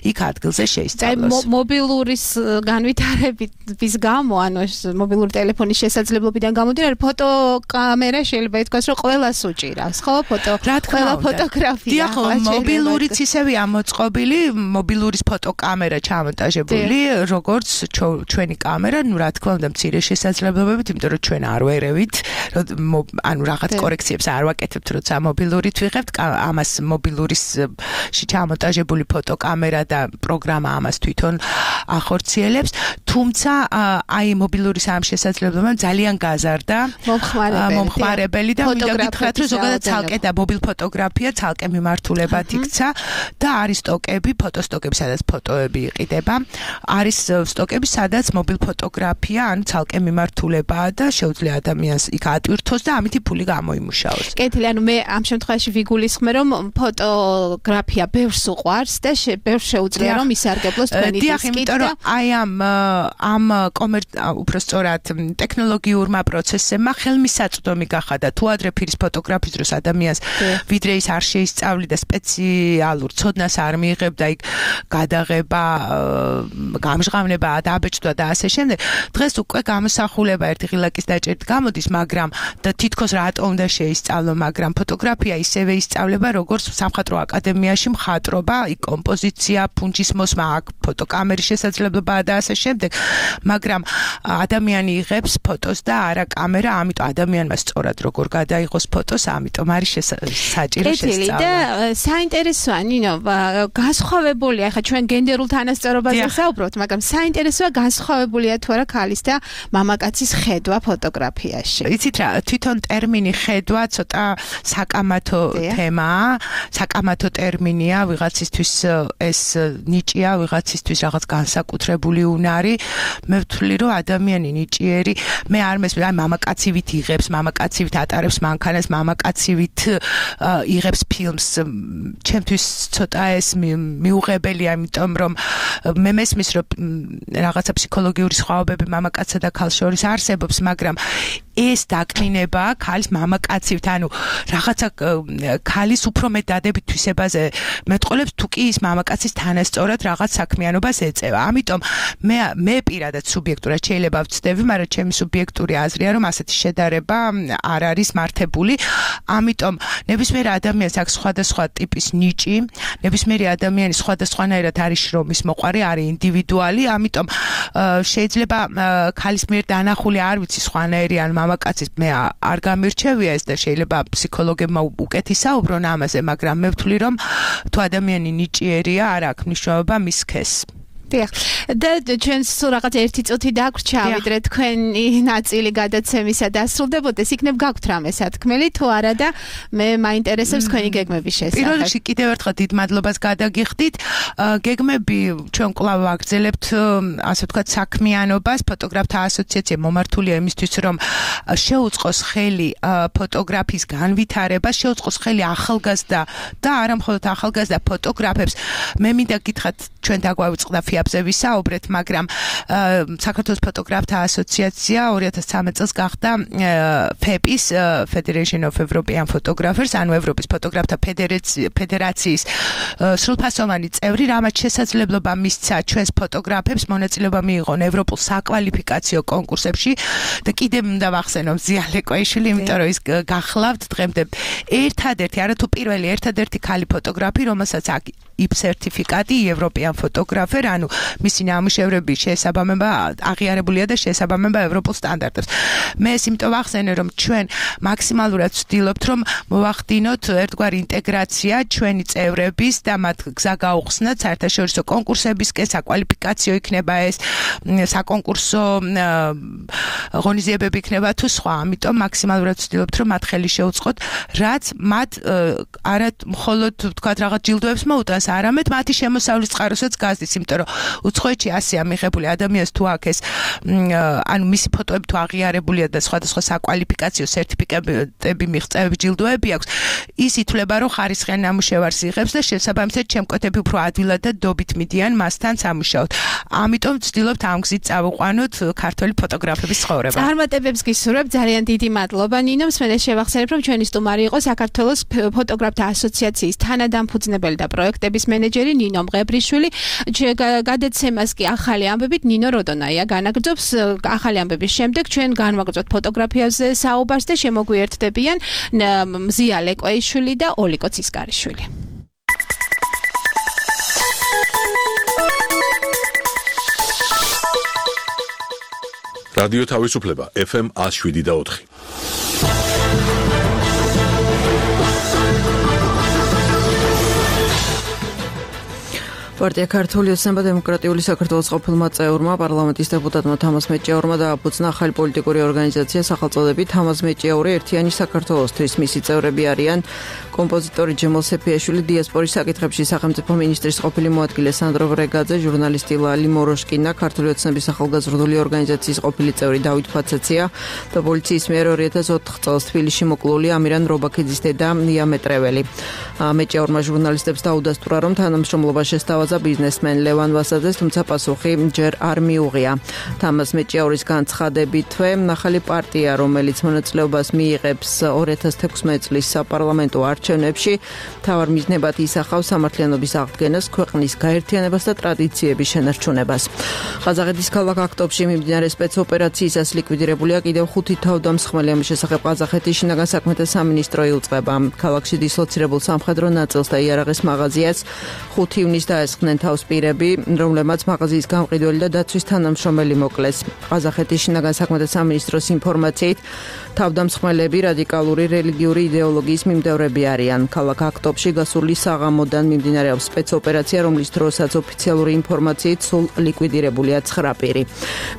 იქ ადგილზე შეისწავლოს. აი მობილურის განვითარების გამო, ანუ ეს მობილური ტელეფონის შესაძლებლობიდან გამომდინარე, ფოტოკამერა შეიძლება ითქვას, რომ ყველას უჭირავს, ხო? ფოტო, ყველა ფოტოგრაფია. დიახ, მობილურიც ისევე ამოწყობილი, მობილურის ფოტოკამერა ჩამონტაჟებული, როგორც ჩვენი კამერა, ну რა თქმა უნდა, მცირე შესაძლებლობებით, იმიტომ რომ ჩვენ არ ვერევით, ანუ რაღაც კორექციებს არ ვაკეთებთ, როცა მობილურით ვიღებთ, ამას მობილურისში ჩამონტაჟებული ფოტოკამერა და პროგრამა ამას თვითონ ახორციელებს, თუმცა აი მობილურის ამ შესაძლებლობამ ძალიან გაზარდა მომხმარებელი და მინდა გითხრათ, რომ ზოგადად ცალკე და მობილ ფოტოგრაფია ცალკე მიმართულებად იქცა და არის სტოკები, ფოტოსტოკები, სადაც ფოტოები იყიდება, არის სტოკები, სადაც მობილ ფოტოგრაფია, ანუ ცალკე მიმართულებაა და შეუძლია ადამიანს იქ ატვირთოს და ამითი ფული გამოიმუშაოს. კეთილი, ანუ მე ამ შემთხვევაში ვიგულისხმე, რომ ფოტოგრაფია ბევრს უყვარს და ბევრს შეუძლია რომ ისარგებლოს თქვენი დისკით. დიახ, იმიტომ რომ აი ამ ამ კომერ უფრო სწორად ტექნოლოგიურმა პროცესებმა ხელმისაწვდომი გახადა თუ ადრე ფირის ფოტოგრაფიის დროს ადამიანს ვიდრე ის არ შეისწავლიდა სპეციალურ ცოდნას არ მიიღებდა იქ გადაღება, გამჟღავნება, დაბეჭდვა და ასე შემდეგ. დღეს უკვე გამოსახულება ერთი ღილაკის დაჭერით გამოდის, მაგრამ და თითქოს რატომ უნდა შეისწავლო, მაგრამ ფოტოგრაფია ისევე ისწავლება, როგორც სამხატვრო აკადემიაში მხატვრობა, იქ კომპოზიცია, ფუნჯის მოსმა, აქ ფოტოკამერის შესაძლებლობაა და ასე შემდეგ, მაგრამ ადამიანი იღებს ფოტოს და არა კამერა, ამიტომ ადამიანმა სწორად როგორ გადაიღოს ფოტოს, ამიტომ არის საჭირო შესწავლა. და საინტერესოა, ნინო, განსხვავებულია, ხა ჩვენ გენდერულ თანასწორობაზე საუბრობთ, მაგრამ საინტერესოა განსხვავებულია თუ არა ქალის და მამაკაცის ხედვა ფოტოგრაფიაში. იცით რა, თვითონ ტერმინი ხედვა ცოტა საკამათო თემაა, საკამათო ტერმინია, ვიღაცისთვის ეს ნიჭია, ვიღაცისთვის რაღაც განსაკუთრებული უნარი. მე ვთვლი, რომ ადამიანი ნიჭიერი, მე არ მესმის, აი მამაკაცივით იღებს, მამაკაცივით ატარებს მანქანას, მამაკაცივით იღებს ფილმს. ჩემთვის ცოტა ეს მიუღებელია, იმიტომ რომ მე მესმის, რომ რაღაცა ფსიქოლოგიური სხვაობები მამაკაცსა და ქალს შორის არსებობს, მაგრამ ეს დაკნინება ქალის მამაკაცივით, ანუ რაღაცა ქალის უფრო მეტ დადებით თვისებაზე მეტყოლებს, თუ კი ის მამაკაცის თანასწორად რაღაც საქმიანობას ეწევა. ამიტომ მე მე პირადად სუბიექტურად შეიძლება ვცდები, მაგრამ ჩემი სუბიექტური აზრია, რომ ასეთი შედარება არ არის მართებული. ამიტომ ნებისმიერ ადამიანს აქვს სხვადასხვა ტიპის ნიჭი, ნებისმიერი ადამიანი სხვადასხვანაირად არის შრომის მოყვარე, არის ინდივიდუალი, ამიტომ შეიძლება ქალის მიერ დანახული არ ვიცი სხვანაირი ან მამაკაცის მე არ გამირჩევია ეს და შეიძლება ფსიქოლოგებმა უკეთი საუბრონ ამაზე, მაგრამ მე ვთვლი, რომ თუ ადამიანი ნიჭიერია, არ აქვს მნიშვნელობა მის სქესს. დიახ. და ჩვენ სულ რაღაც ერთი წუთი დაგვრჩა, ვიდრე თქვენი ნაწილი გადაცემისა დასრულდებოდეს, იქნებ გაქვთ რამე სათქმელი თუ არა და მე მაინტერესებს თქვენი გეგმების შესახებ. პირველ რიგში კიდევ ერთხელ დიდ მადლობას გადაგიხდით. გეგმები ჩვენ კვლავ ვაგრძელებთ, ასე ვთქვათ, საქმიანობას, ფოტოგრაფთა ასოციაცია მომართულია იმისთვის, რომ შეუწყოს ხელი ფოტოგრაფიის განვითარებას, შეუწყოს ხელი ახალგაზრდა და არა მხოლოდ ახალგაზრდა ფოტოგრაფებს. მე მინდა გითხრათ, ჩვენ დაგვავიწყდა ფოტოგრაფიებზე ვისაუბრეთ, მაგრამ საქართველოს ფოტოგრაფთა ასოციაცია ორი ათას ცხრამეტ წელს გახდა ფეპის Federation of European Photographers, ანუ ევროპის ფოტოგრაფთა ფედერაციის სრულფასოვანი წევრი, რამაც შესაძლებლობა მისცა ჩვენს ფოტოგრაფებს მონაწილეობა მიიღონ ევროპულ საკვალიფიკაციო კონკურსებში და კიდევ უნდა ვახსენო ზია ლეკვაიშვილი, იმიტომ რომ ის გახლავთ დღემდე ერთადერთი, არათუ პირველი, ერთადერთი ქალი ფოტოგრაფი, რომელსაც აქვს ი პ სერტიფიკატი, ევროპიან ფოტოგრაფერ, ანუ მისი ნამუშევრები შეესაბამება, აღიარებულია და შეესაბამება ევროპულ სტანდარტებს. მე ეს იმიტომ ვახსენე, რომ ჩვენ მაქსიმალურად ვცდილობთ, რომ მოვახდინოთ ერთგვარი ინტეგრაცია ჩვენი წევრების და მათ გზა გაუხსნათ საერთაშორისო კონკურსებისკენ, საკვალიფიკაციო იქნება ეს, საკონკურსო ღონისძიებები იქნება თუ სხვა. ამიტომ მაქსიმალურად ვცდილობთ, რომ მათ ხელი შეუწყოთ, რაც მათ არა მხოლოდ თქვათ რაღაც ჯილდოებს მოუტანს, არამედ მათი შემოსავლის წყაროსაც გაზდის, იმიტომ რომ უცხოეთში ასეა მიღებული ადამიანს თუ აქ ეს ანუ მისი ფოტოები თუ აღიარებულია და სხვადასხვა საკვალიფიკაციო სერტიფიკატები მიღწევები ჯილდოები აქვს, ის ითვლება, რომ ხარისხიან ნამუშევარს იღებს და შესაბამისად ჩემკვეთები უფრო ადვილად და დობით მიდიან მასთან სამუშაოდ. ამიტომ ვცდილობთ ამ გზით წავიყვანოთ ქართველი ფოტოგრაფების ცხოვრება. წარმატებებს გისურვებ, ძალიან დიდი მადლობა ნინო. მსმენელს შევახსენებ, რომ ჩვენი სტუმარი იყო საქართველოს ფოტოგრაფთა ასოციაციის თანადამფუძნებელი და პროექტების მენეჯერი ნინო მღებრიშვილი. გადაცემას კი ახალი ამბებით ნინო როდონაია განაგრძობს. ახალი ამბების შემდეგ ჩვენ განვაგრძობთ ფოტოგრაფიაზე საუბარს და შემოგვიერთდებიან ზია ლეკვაიშვილი და ოლიკო ცისკარიშვილი. რადიო თავისუფლება ეფ ემ one oh seven და four. პარტია ქართული ოცნება დემოკრატიული საქართველოს ყოფილმა წევრმა პარლამენტის დეპუტატმა თამაზ მეჭიაურმა დააფუძნა ახალი პოლიტიკური ორგანიზაცია სახელწოდებით თამაზ მეჭიაური ერთიანი საქართველოსთვის. მისი წევრები არიან კომპოზიტორი ჯემალ სეფიაშვილი, დიასპორის საკითხებში სახელმწიფო მინისტრის ყოფილი მოადგილე სანდრო ვრეგაძე, ჟურნალისტი ლალი მოროშკინა, ქართული ოცნების ახალგაზრდული ორგანიზაციის ყოფილი წევრი დავით ფაცაცია და პოლიციის მიერ ორი ათას ოთხ წელს თბილისში მოკლული ამირან რობაქიძის დედა ნია მეტრეველი. მეჭიაურმა ჟურნალისტებს დაუდასტურა, რომ თანამშრომლობა შესთავაზა ბიზნესმენ ლევან ვასაძეს, თუმცა პასუხი ჯერ არ მიუღია. თამაზ მეჭიაურის განცხადებითვე ახალი პარტია, რომელიც მონაწილეობას მიიღებს ორი ათას თექვსმეტ წლის საპარლამენტო არჩევნებში, მთავარ მიზნებად ისახავს სამართლიანობის აღდგენას, ქვეყნის გაერთიანებას და ტრადიციების შენარჩუნებას. ყაზახეთის ქალაქ აქტობში მიმდინარე სპეცოპერაციისას ლიკვიდირებულია კიდევ ხუთი თავდამსხმელი. ამის შესახებ ყაზახეთის შინაგან საქმეთა სამინისტრო ილწვება. ქალაქში დისლოცირებულ სამხედრო ნაწილს და იარაღის მაღაზიას ხუთი ივნისს დაესხნენ თავს პირები, რომლებმაც მაღაზიის გამყიდველი და დაცვის თანამშრომელი მოკლეს. ყაზახეთის შინაგან საქმეთა სამინისტროს ინფორმაციით, თავდამსხმელები რადიკალური რელიგიური იდეოლოგიის მიმდევრები არიან. ქალაქ აქტობში გასული საღამოდან მიმდინარეობს სპეცოპერაცია, რომლის დროსაც ოფიციალური ინფორმაციით სულ ლიკვიდირებულია ცხრა პირი.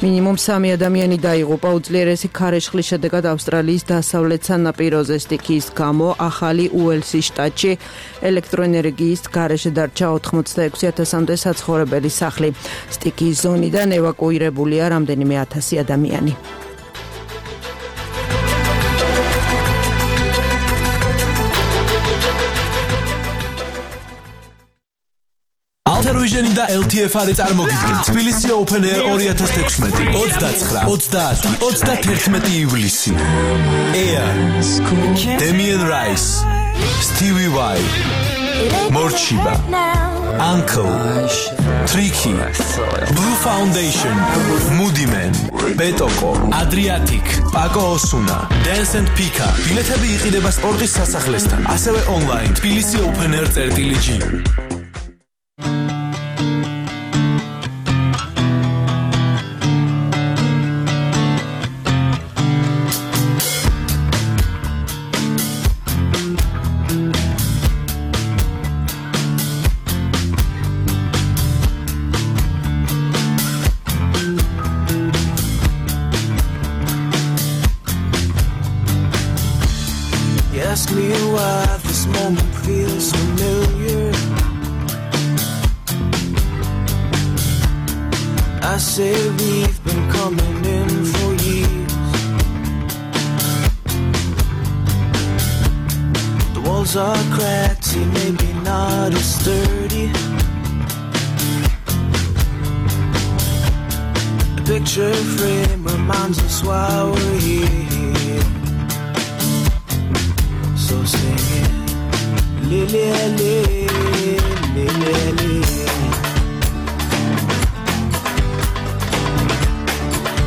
მინიმუმ სამი ადამიანი დაიღუპა უძლიერესი ქარიშხლის შედეგად ავსტრალიის დასავლეთ სანაპიროზე სტიქიის გამო. ახალი უელსის შტატში ელექტროენერგიის გარეშე დარჩა ოთხმოცდაექვსი ათასამდე საცხოვრებელი სახლი. სტიქიის ზონიდან ევაკუირებულია რამდენიმე ათასი ადამიანი. Alter და ელ თი ეფ არის წარმოგიდგენთ თბილისი Open Air ორი ათას თექვსმეტი ოცდაცხრა ოცდაათი ოცდათერთმეტი ივლისი. Air Damien Rice, Stevie Vai, Morchiba, Uncle, Tricky, Blue Foundation, Moody Man, Betoko, Adriatic, Paco Osuna, Dance and Pika. ბილეთები იყიდება სპორტის სასახლესთან, ასევე online თბილისი Open Air წერტილი ჯი. Ask me why this moment feels familiar. I say we've been coming in for years. The walls are cracked, see, maybe not as sturdy. picture frame reminds us why we're here. So sing it, Lily, Lily, Lily, Lily.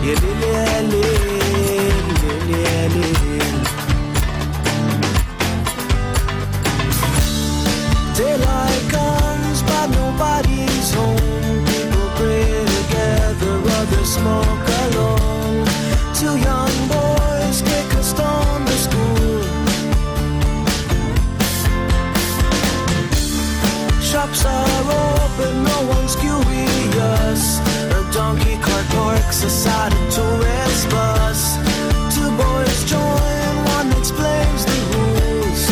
Yeah, Lily, Lily, Lily, Lily. Daylight comes, but nobody's home. People pray together, others smoke alone. Two young boys kick a stone to school. Shops are open, no one's curious. A donkey cart parks beside a tourist bus. Two boys join, one explains the rules.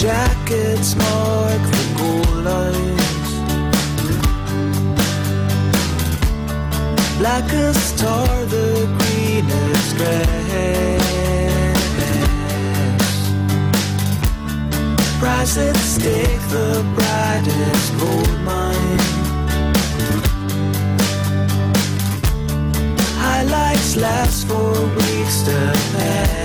Jackets mark the goal lines. Black as tar, the greenest grass. Price at stake, the brightest gold mine. Highlights last for weeks to pass.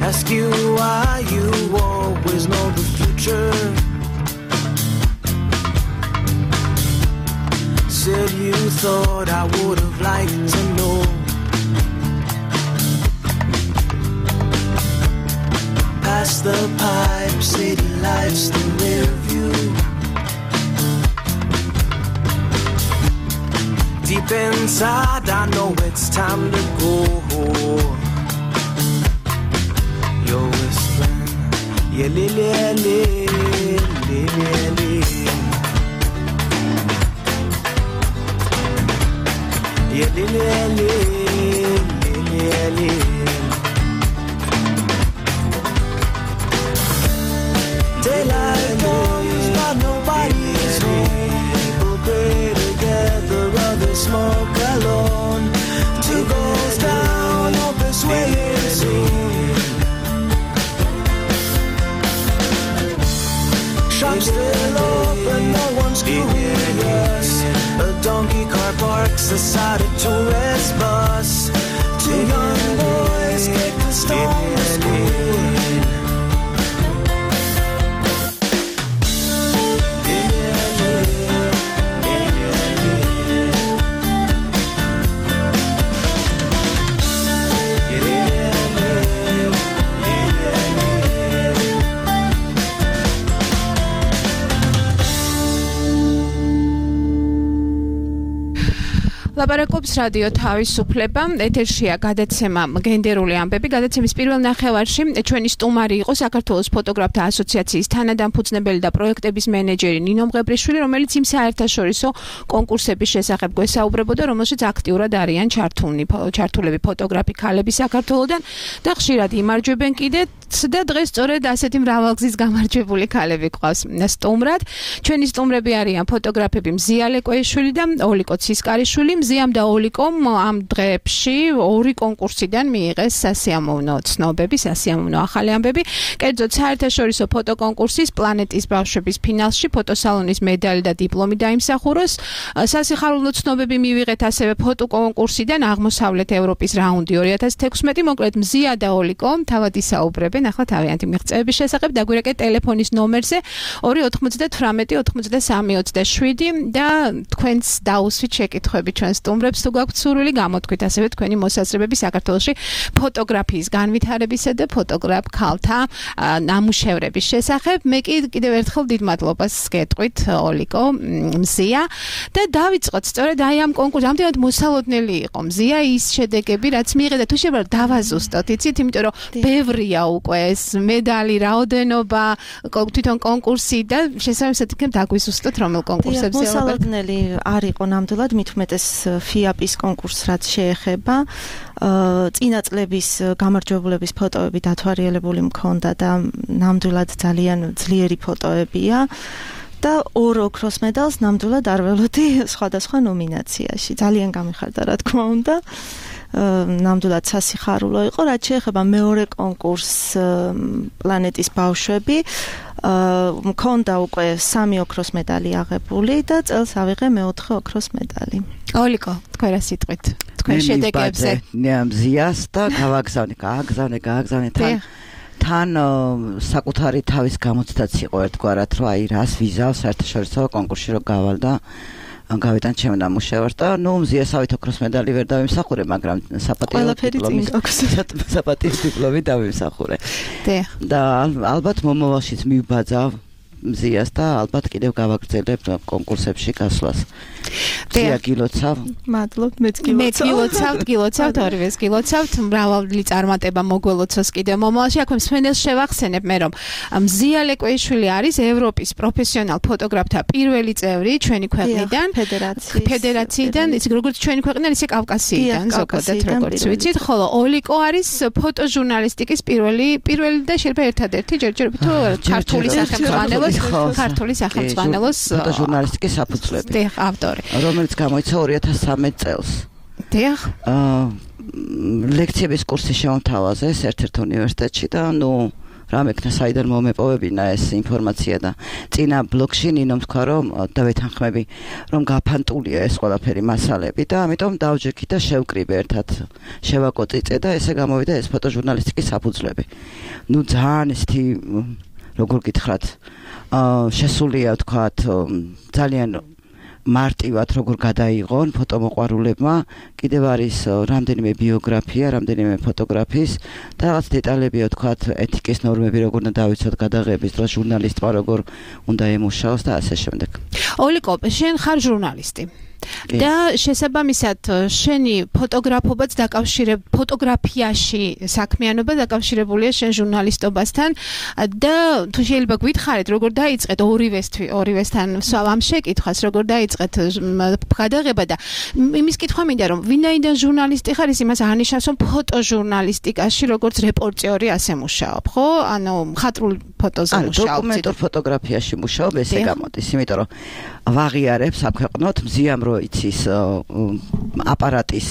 Ask you why you always know the future. Said you thought I would have liked to know. Past the pipe, city lights, the rear view. Deep inside, I know it's time to go. You're whispering, yeah, Lily, Lily, Lily, Lily. Yeah, Lily, Lily, Lily, Lily. Daylight comes, but nobody's home. People pray together, others smoke alone. Two goes down, hope it's waiting soon. Shops still open, no one's curious. A donkey car parks beside a tourist bus. Two young boys kick the stone to school. ლაპარაკობს რადიო თავისუფლება, ეთერშია გადაცემა გენდერული ამბები. გადაცემის პირველ ნახევარში ჩვენი სტუმარი იყო საქართველოს ფოტოგრაფთა ასოციაციის თანადამფუძნებელი და პროექტების მენეჯერი ნინო მღებრიშვილი, რომელიც იმ საერთაშორისო კონკურსების შესახებ გვესაუბრებოდა, რომელშიც აქტიურად არიან ჩართულნი ჩართულები ფოტოგრაფი ქალები საქართველოდან და ხშირად იმარჯვებენ კიდეც და დღეს სწორედ ასეთი მრავალგზის გამარჯვებული ქალები ყავს სტუმრად. ჩვენი სტუმრები არიან ფოტოგრაფები მზია ლეკვეიშვილი და ოლიკო ცისკარიშვილი. მზიამ და ოლიკომ ამ დღეებში ორი კონკურსიდან მიიღეს სასიამოვნო ცნობები, სასიამოვნო ახალი ამბები. კერძოდ საერთაშორისო ფოტოკონკურსის პლანეტის ბავშვების ფინალში ფოტოსალონის медаლი და დიპლომი დაიმსახუროს. სასიხარულო ცნობები მივიღეთ ასევე ფოტოკონკურსიდან აღმოსავლეთ ევროპის რაუნდი ორი ათას თექვსმეტი. მოკლედ მზია და ოლიკო თავად ისაუბრებენ ახლა თავიანთი მიღწევების შესახებ. დაგვირეკეთ ტელეფონის ნომერზე ორი ოთხმოცდათვრამეტი ოთხმოცდასამი ოცდაშვიდი და თქვენს დაუსვით შეკითხვები ჩვენს სტუმრებს თუ გაქვთ სურვილი გამოთქვით ასევე თქვენი მოსაზრებები საქართველოში ფოტოგრაფიის განვითარებისა და ფოტოგრაფ ქალთა ნამუშევრების შესახებ. მე კი კიდევ ერთხელ დიდ მადლობას გეტყვით ოლიკო, მზია და დავიწყოთ სწორედ აი ამ კონკურსს. ამდენად მოსალოდნელი იყო მზია ის შედეგები, რაც მიიღეთ და თუ შეიძლება დავაზუსტოთ, იცით, იმიტომ რომ ბევრია უკვე იყო ეს medali, რაოდენობა, თვითონ კონკურსი და შესაბამისად იქნებ დაგვიზუსტოთ რომელ კონკურსებზე ვიყავით. მოსალოდნელი არ იყო ნამდვილად, მით უმეტეს ფიაპის კონკურსს რაც შეეხება. წინა წლების გამარჯვებულების ფოტოები დათვალიერებული მქონდა და ნამდვილად ძალიან ძლიერი ფოტოებია. და ორ ოქროს მედალს ნამდვილად არ ველოდი სხვადასხვა ნომინაციაში. ძალიან გამიხარდა, რა თქმა უნდა. ნამდვილად სასიხარულო იყო, რაც შეეხება მეორე კონკურსს პლანეტის ბავშვები. მქონდა უკვე სამი ოქროს მედალი აღებული და წელს ავიღე მეოთხე ოქროს მედალი. ოლიკო, თქვენ რა სიტყვით? თქვენ შედეგებზე. მზიას და გავაგზავნე, გააგზავნე, გააგზავნე თან თან საკუთარი თავის გამოცდაც იყო ერთგვარად, რომ აი რას ვიზავს საერთაშორისო კონკურსში რომ გავალ და გავიტან ჩემ ნამუშევარს და ნუ მზიასავით ოქროს მედალი ვერ დავიმსახურე, მაგრამ საპატიო დიპლომი საპატიო დიპლომი დავიმსახურე. და ალბათ მომავალშიც მივბაძავ მზიას და ალბათ კიდევ გავაგრძელებ კონკურსებში გასვლას. მზია გილოცავ. მადლობ, მეც გილოცავ. მე გილოცავ, გილოცავ, ორივეს გილოცავ, მრავალი წარმატება მოგველოცოს კიდევ მომავალში. აქვე მსმენელს შევახსენებ მე რომ მზია ლეკვეიშვილი არის ევროპის პროფესიონალ ფოტოგრაფთა pierwszy წევრი ჩვენი ქვეყნიდან, ფედერაციის ფედერაციიდან, ისე როგორც ჩვენი ქვეყნიდან, ისე კავკასიიდან, ზოგადად როგორც ვიცით, ხოლო ოლიკო არის ფოტოჟურნალისტიკის პირველი, პირველი და შეიძლება ერთადერთი ჯერჯერობით თუ ქართული სახელმძღვანელოს ქართული სახელმძღვანელოს ფოტოჟურნალისტიკის საფუძვლები. დიახ, ავტორი. რომელიც გამოიცა ორი ათას სამი წელს. დიახ. აა ლექციების კურსი შემოთავაზე ერთ-ერთ უნივერსიტეტში და ნუ რა მექნა საიდან მომეპოვებინა ეს ინფორმაცია და წინა ბლოგში ნინომ თქვა რომ და ვეთანხმები რომ გაფანტულია ეს ყველაფერი მასალები და ამიტომ დავჯექი და შევკრიბე ერთად შევაკოწიწე და ესე გამოვიდა ეს ფოტოჟურნალისტიკის საფუძვლები. ნუ ძალიან ისეთი როგორ გითხრათ აა შესულია თქვათ ძალიან მარტივად როგორ გადაიღონ ფოტომოყვარულებმა, კიდევ არის რამდენიმე ბიოგრაფია, რამდენიმე ფოტოგრაფის და რაღაც დეტალებია თქვათ ეთიკის ნორმები როგორ უნდა დავიცოთ გადაღების დროს ჟურნალისტმა როგორ უნდა ემუშაოს და ასე შემდეგ. ოლიკო, შენ ხარ ჟურნალისტი. და შესაბამისად შენი ფოტოგრაფობაც დაკავშირებ ფოტოგრაფიაში საქმიანობა დაკავშირებულია შენ ჟურნალისტობასთან და თუ შეიძლება გვითხრათ როგორ დაიწყეთ ორივესთვის ორივესთან ამ შეკითხვას როგორ დაიწყეთ გადაღება და იმის კითხვა მინდა რომ ვინაიდან ჟურნალისტი ხარ ის იმას აღნიშნავს რომ ფოტოჟურნალისტიკაში როგორც რეპორტიორი ასე მუშაობ ხო ანუ მხატვრულ ფოტოზე მუშაობ დოკუმენტურ ფოტოგრაფიაში მუშაობ ესე გამოდის იმიტომ რომ ვაღიარებ საქვეყნოთ მზიამ იცის აპარატის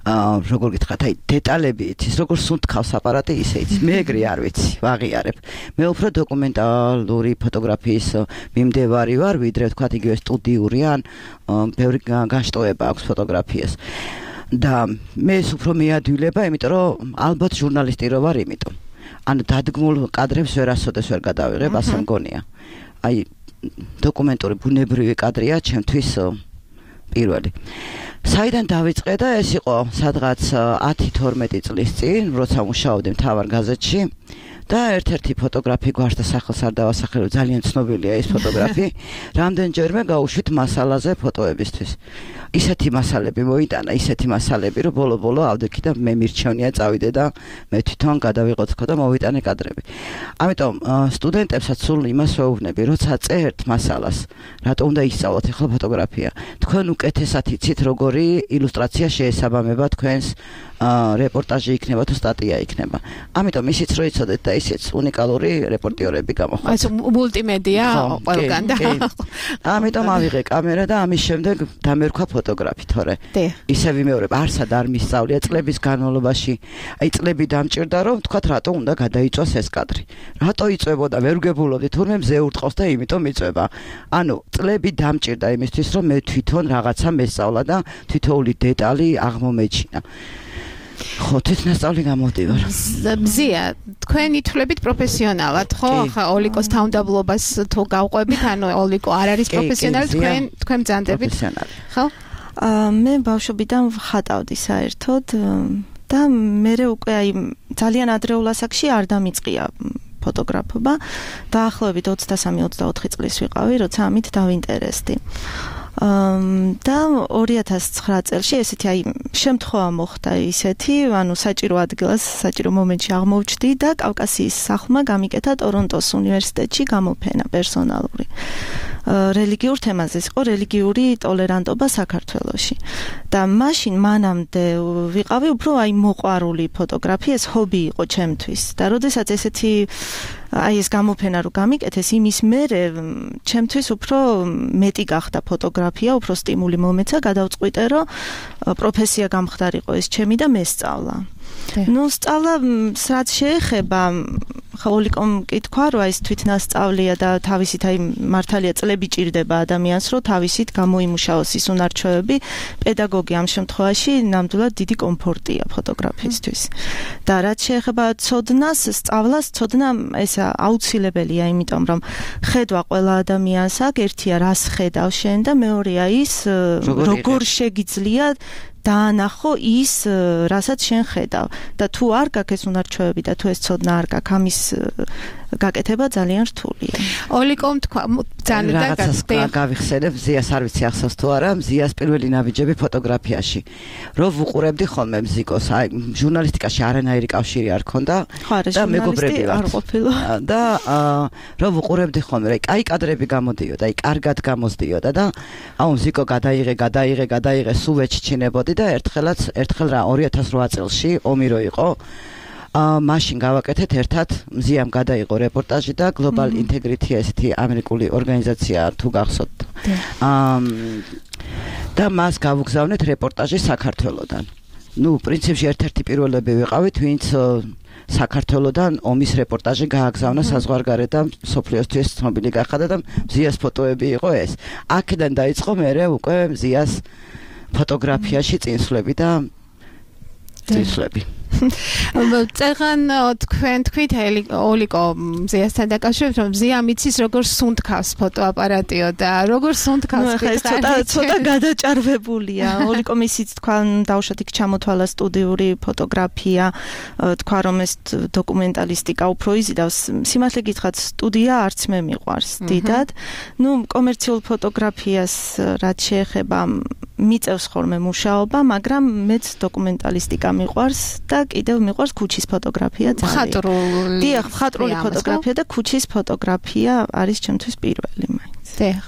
როგორ გითხრათ აი დეტალები იცის როგორ სუნთქავს აპარატი ისე იცის მე ეგრე არ ვიცი ვაღიარებ მე უფრო დოკუმენტალური ფოტოგრაფიის მიმდევარი ვარ ვიდრე ვთქვათ იგივე სტუდიური ან ბევრი განშტოება აქვს ფოტოგრაფიას და მე ეს უფრო მეადვილება იმიტომ რომ ალბათ ჟურნალისტი რო ვარ იმიტომ ან დადგმულ კადრებს ვერასოდეს ვერ გადავიღებ ასე მგონია აი დოკუმენტური ბუნებრივი კადრია ჩემთვის პირველი. საიდან დავიწყე და ეს იყო სადღაც ათი თორმეტი წლის წინ, როცა მუშაობდი მთავარ გაზეთში და ერთ-ერთი ფოტოგრაფი გვარს და სახელს არ დავასახელებ, ძალიან ცნობილია ეს ფოტოგრაფი. რამდენჯერმე გავუშვით მასალაზე ფოტოებისთვის. ისეთი მასალები მოიტანა, ისეთი მასალები, რომ ბოლო-ბოლო ავდექი და მე მირჩევნია წავიდე და მე თვითონ გადავიღოცხო და მოვიტანე კადრები. ამიტომ სტუდენტებსაც სულ იმას ვეუბნები, როცა წერთ მასალას, რატო უნდა ისწავლოთ ახლა ფოტოგრაფია. თქვენ უკეთესად იცით, როგორი ილუსტრაცია შეესაბამება თქვენს რეპორტაჟი იქნება თუ სტატია იქნება. ამიტომ ისიც რო იცოდეთ და ისიც უნიკალური რეპორტიორები გამოხვალთ. ეს მულტიმედია ყველგან და ამიტომ ავიღე კამერა და ამის შემდეგ დამერქვა ფოტოგრაფი, თორე ისე ვიმეორებ, არსად არ მისწავლია წლების განმავლობაში. აი წლები დამჭირდა რომ თქვათ რატო უნდა გადაიწვას ეს კადრი. რატო იწვებოდა, ვერ ვგებულობდი, თურმე მზე ურტყავს და იმიტომ იწვება. ანუ წლები დამჭირდა იმისთვის რომ მე თვითონ რაღაცა მესწავლა და თითოეული დეტალი აღმომეჩინა. ხო, თვითნასწავლი გამოვდივარ. მზია, თქვენ ითვლებით პროფესიონალად, ხო? ახლა ოლიკოს თავმდაბლობას თუ გავყვებით, ანუ ოლიკო არ არის პროფესიონალი, თქვენ თქვენ ბრძანდებით. ხო? აა მე ბავშვობიდან ვხატავდი საერთოდ და მე უკვე აი ძალიან ადრეულ ასაკში არ დამიწყია ფოტოგრაფობა. დაახლოებით ოცდასამი ოცდაოთხი წლის ვიყავი, როცა ამით დავინტერესდი. და ორი ათას ცხრა წელს ესეთი აი შემთხვევა მოხდა ისეთი, ანუ საჭირო ადგილას, საჭირო მომენტში აღმოჩნდი და კავკასიის სახლმა გამიკეთა ტორონტოს უნივერსიტეტში გამოფენა პერსონალური. რელიგიურ თემაზე იყო რელიგიური ტოლერანტობა საქართველოში. და მაშინ მანამდე ვიყავი უფრო აი მოყვარული ფოტოგრაფია, ეს ჰობი იყო ჩემთვის. და როდესაც ესეთი აი ეს გამოფენა რო გამიკეთეს, იმის მერე ჩემთვის უფრო მეტი გახდა ფოტოგრაფია, უფრო სტიმული მომეცა, გადავწყვიტე, რომ პროფესია გამხდარიყო ეს ჩემი და მესწავლა. ნუ სწავლა რაც შეეხება ხოლიკომ კითხვა, რომ ეს თვითნასწავლია და თავისით აი მართალია წლები ჭირდება ადამიანს, რომ თავისით გამოიმუშაოს ის უნარჩვევები. პედაგოგი ამ შემთხვევაში ნამდვილად დიდი კომფორტია ფოტოგრაფისტვის. და რაც შეეხება ცოდნას, სწავლას, ცოდნა ეს აუცილებელია, იმიტომ რომ ხედვა ყველა ადამიანს აქვს, ერთია რას ხედავ შენ და მეორეა ის როგორ შეგიძლია დაანახო ის, რასაც შენ ხედავ. და თუ არ გაქვს ეს უნარჩვევები და თუ ეს ცოდნა არ გაქვს, ამის გაკეთება ძალიან რთულია. ოლიკომ თქვა, ძალიან რაღაცას გავიხსენებ, ზიას არ ვიცი ახსოვს თუ არა, ზიას პირველი ნაბიჯები ფოტოგრაფიაში. რომ ვუყურებდი ხოლმე მზიკოს, აი ჟურნალისტიკაში არანაირი კავშირი არ ქონდა და მეგობრები არ ყოფილა. და რომ ვუყურებდი ხოლმე, აი კაი კადრები გამოდიოდა, აი კარგად გამოსდიოდა და აუ მზიკო გადაიღე, გადაიღე, გადაიღე, სულ ვეჩჩინებოდი და ერთხელაც ერთხელ რა ორი ათას რვა წელში ომი რო იყო, აა მაშინ გავაკეთეთ ერთად, მზიამ გადაიღო რეპორტაჟი და Global Integrity ესეთი ამერიკული ორგანიზაცია თუ გახსოვთ. აა და მას გავუგზავნეთ რეპორტაჟი საქართველოდან. ნუ პრინციპში ერთ-ერთი პირველები ვიყავით, ვინც საქართველოდან ომის რეპორტაჟი გააგზავნა საზღვარგარეთ და სოფლიოსთვის ცნობილი გახადა და მზიას ფოტოები იყო ეს. აქედან დაიწყო მერე უკვე მზიას ფოტოგრაფიაში წინსვლები და წინსვლები. წეგან თქვენ თქვით ოლიკო მზიასთან დაკავშირებით, რომ მზია მიცის როგორ სუნთქავს ფოტოაპარატიო და როგორ სუნთქავს ცოტა ცოტა გადაჭარბებულია. ოლიკო მისიც თქვა დავუშვათ იქ ჩამოთვალა სტუდიური ფოტოგრაფია, თქვა რომ ეს დოკუმენტალისტიკა უფრო იზიდავს. სიმართლე გითხრათ, სტუდია არც მე მიყვარს დიდად. ნუ კომერციულ ფოტოგრაფიას რაც შეეხება მიწევს ხოლმე მუშაობა, მაგრამ მეც დოკუმენტალისტიკა მიყვარს და კიდევ მიყვარს ქუჩის ფოტოგრაფია ძალიან. მხატვრული. დიახ, მხატვრული ფოტოგრაფია და ქუჩის ფოტოგრაფია არის ჩემთვის პირველი მაინც. დიახ.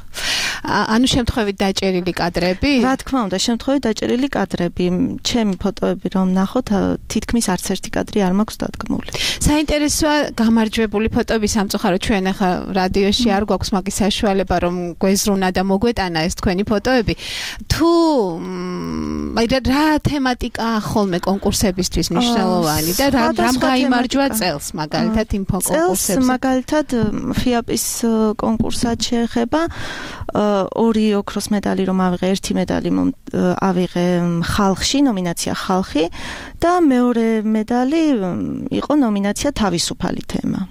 ანუ შემთხვევით დაჭერილი კადრები? რა თქმა უნდა, შემთხვევით დაჭერილი კადრები. ჩემი ფოტოები რომ ნახოთ, თითქმის არც ერთი კადრი არ მაქვს დადგმული. საინტერესოა გამარჯვებული ფოტოები სამწუხაროდ ჩვენ ახლა რადიოში არ გვაქვს მაგის საშუალება რომ გვეზრუნა და მოგვეტანა ეს თქვენი ფოტოები. თუ აი რა თემატიკაა ხოლმე კონკურსებისთვის მნიშვნელოვანი და რამ გაიმარჯვა წელს მაგალითად იმ კონკურსებზე? წელს მაგალითად ფიაპის კონკურსად შეეხება ორი ოქროს медаლი რომ ავიღე, ერთი медаლი ავიღე ხალხში, ნომინაცია ხალხი და მეორე медаლი იყო ნომინაცია თავისუფალი თემა.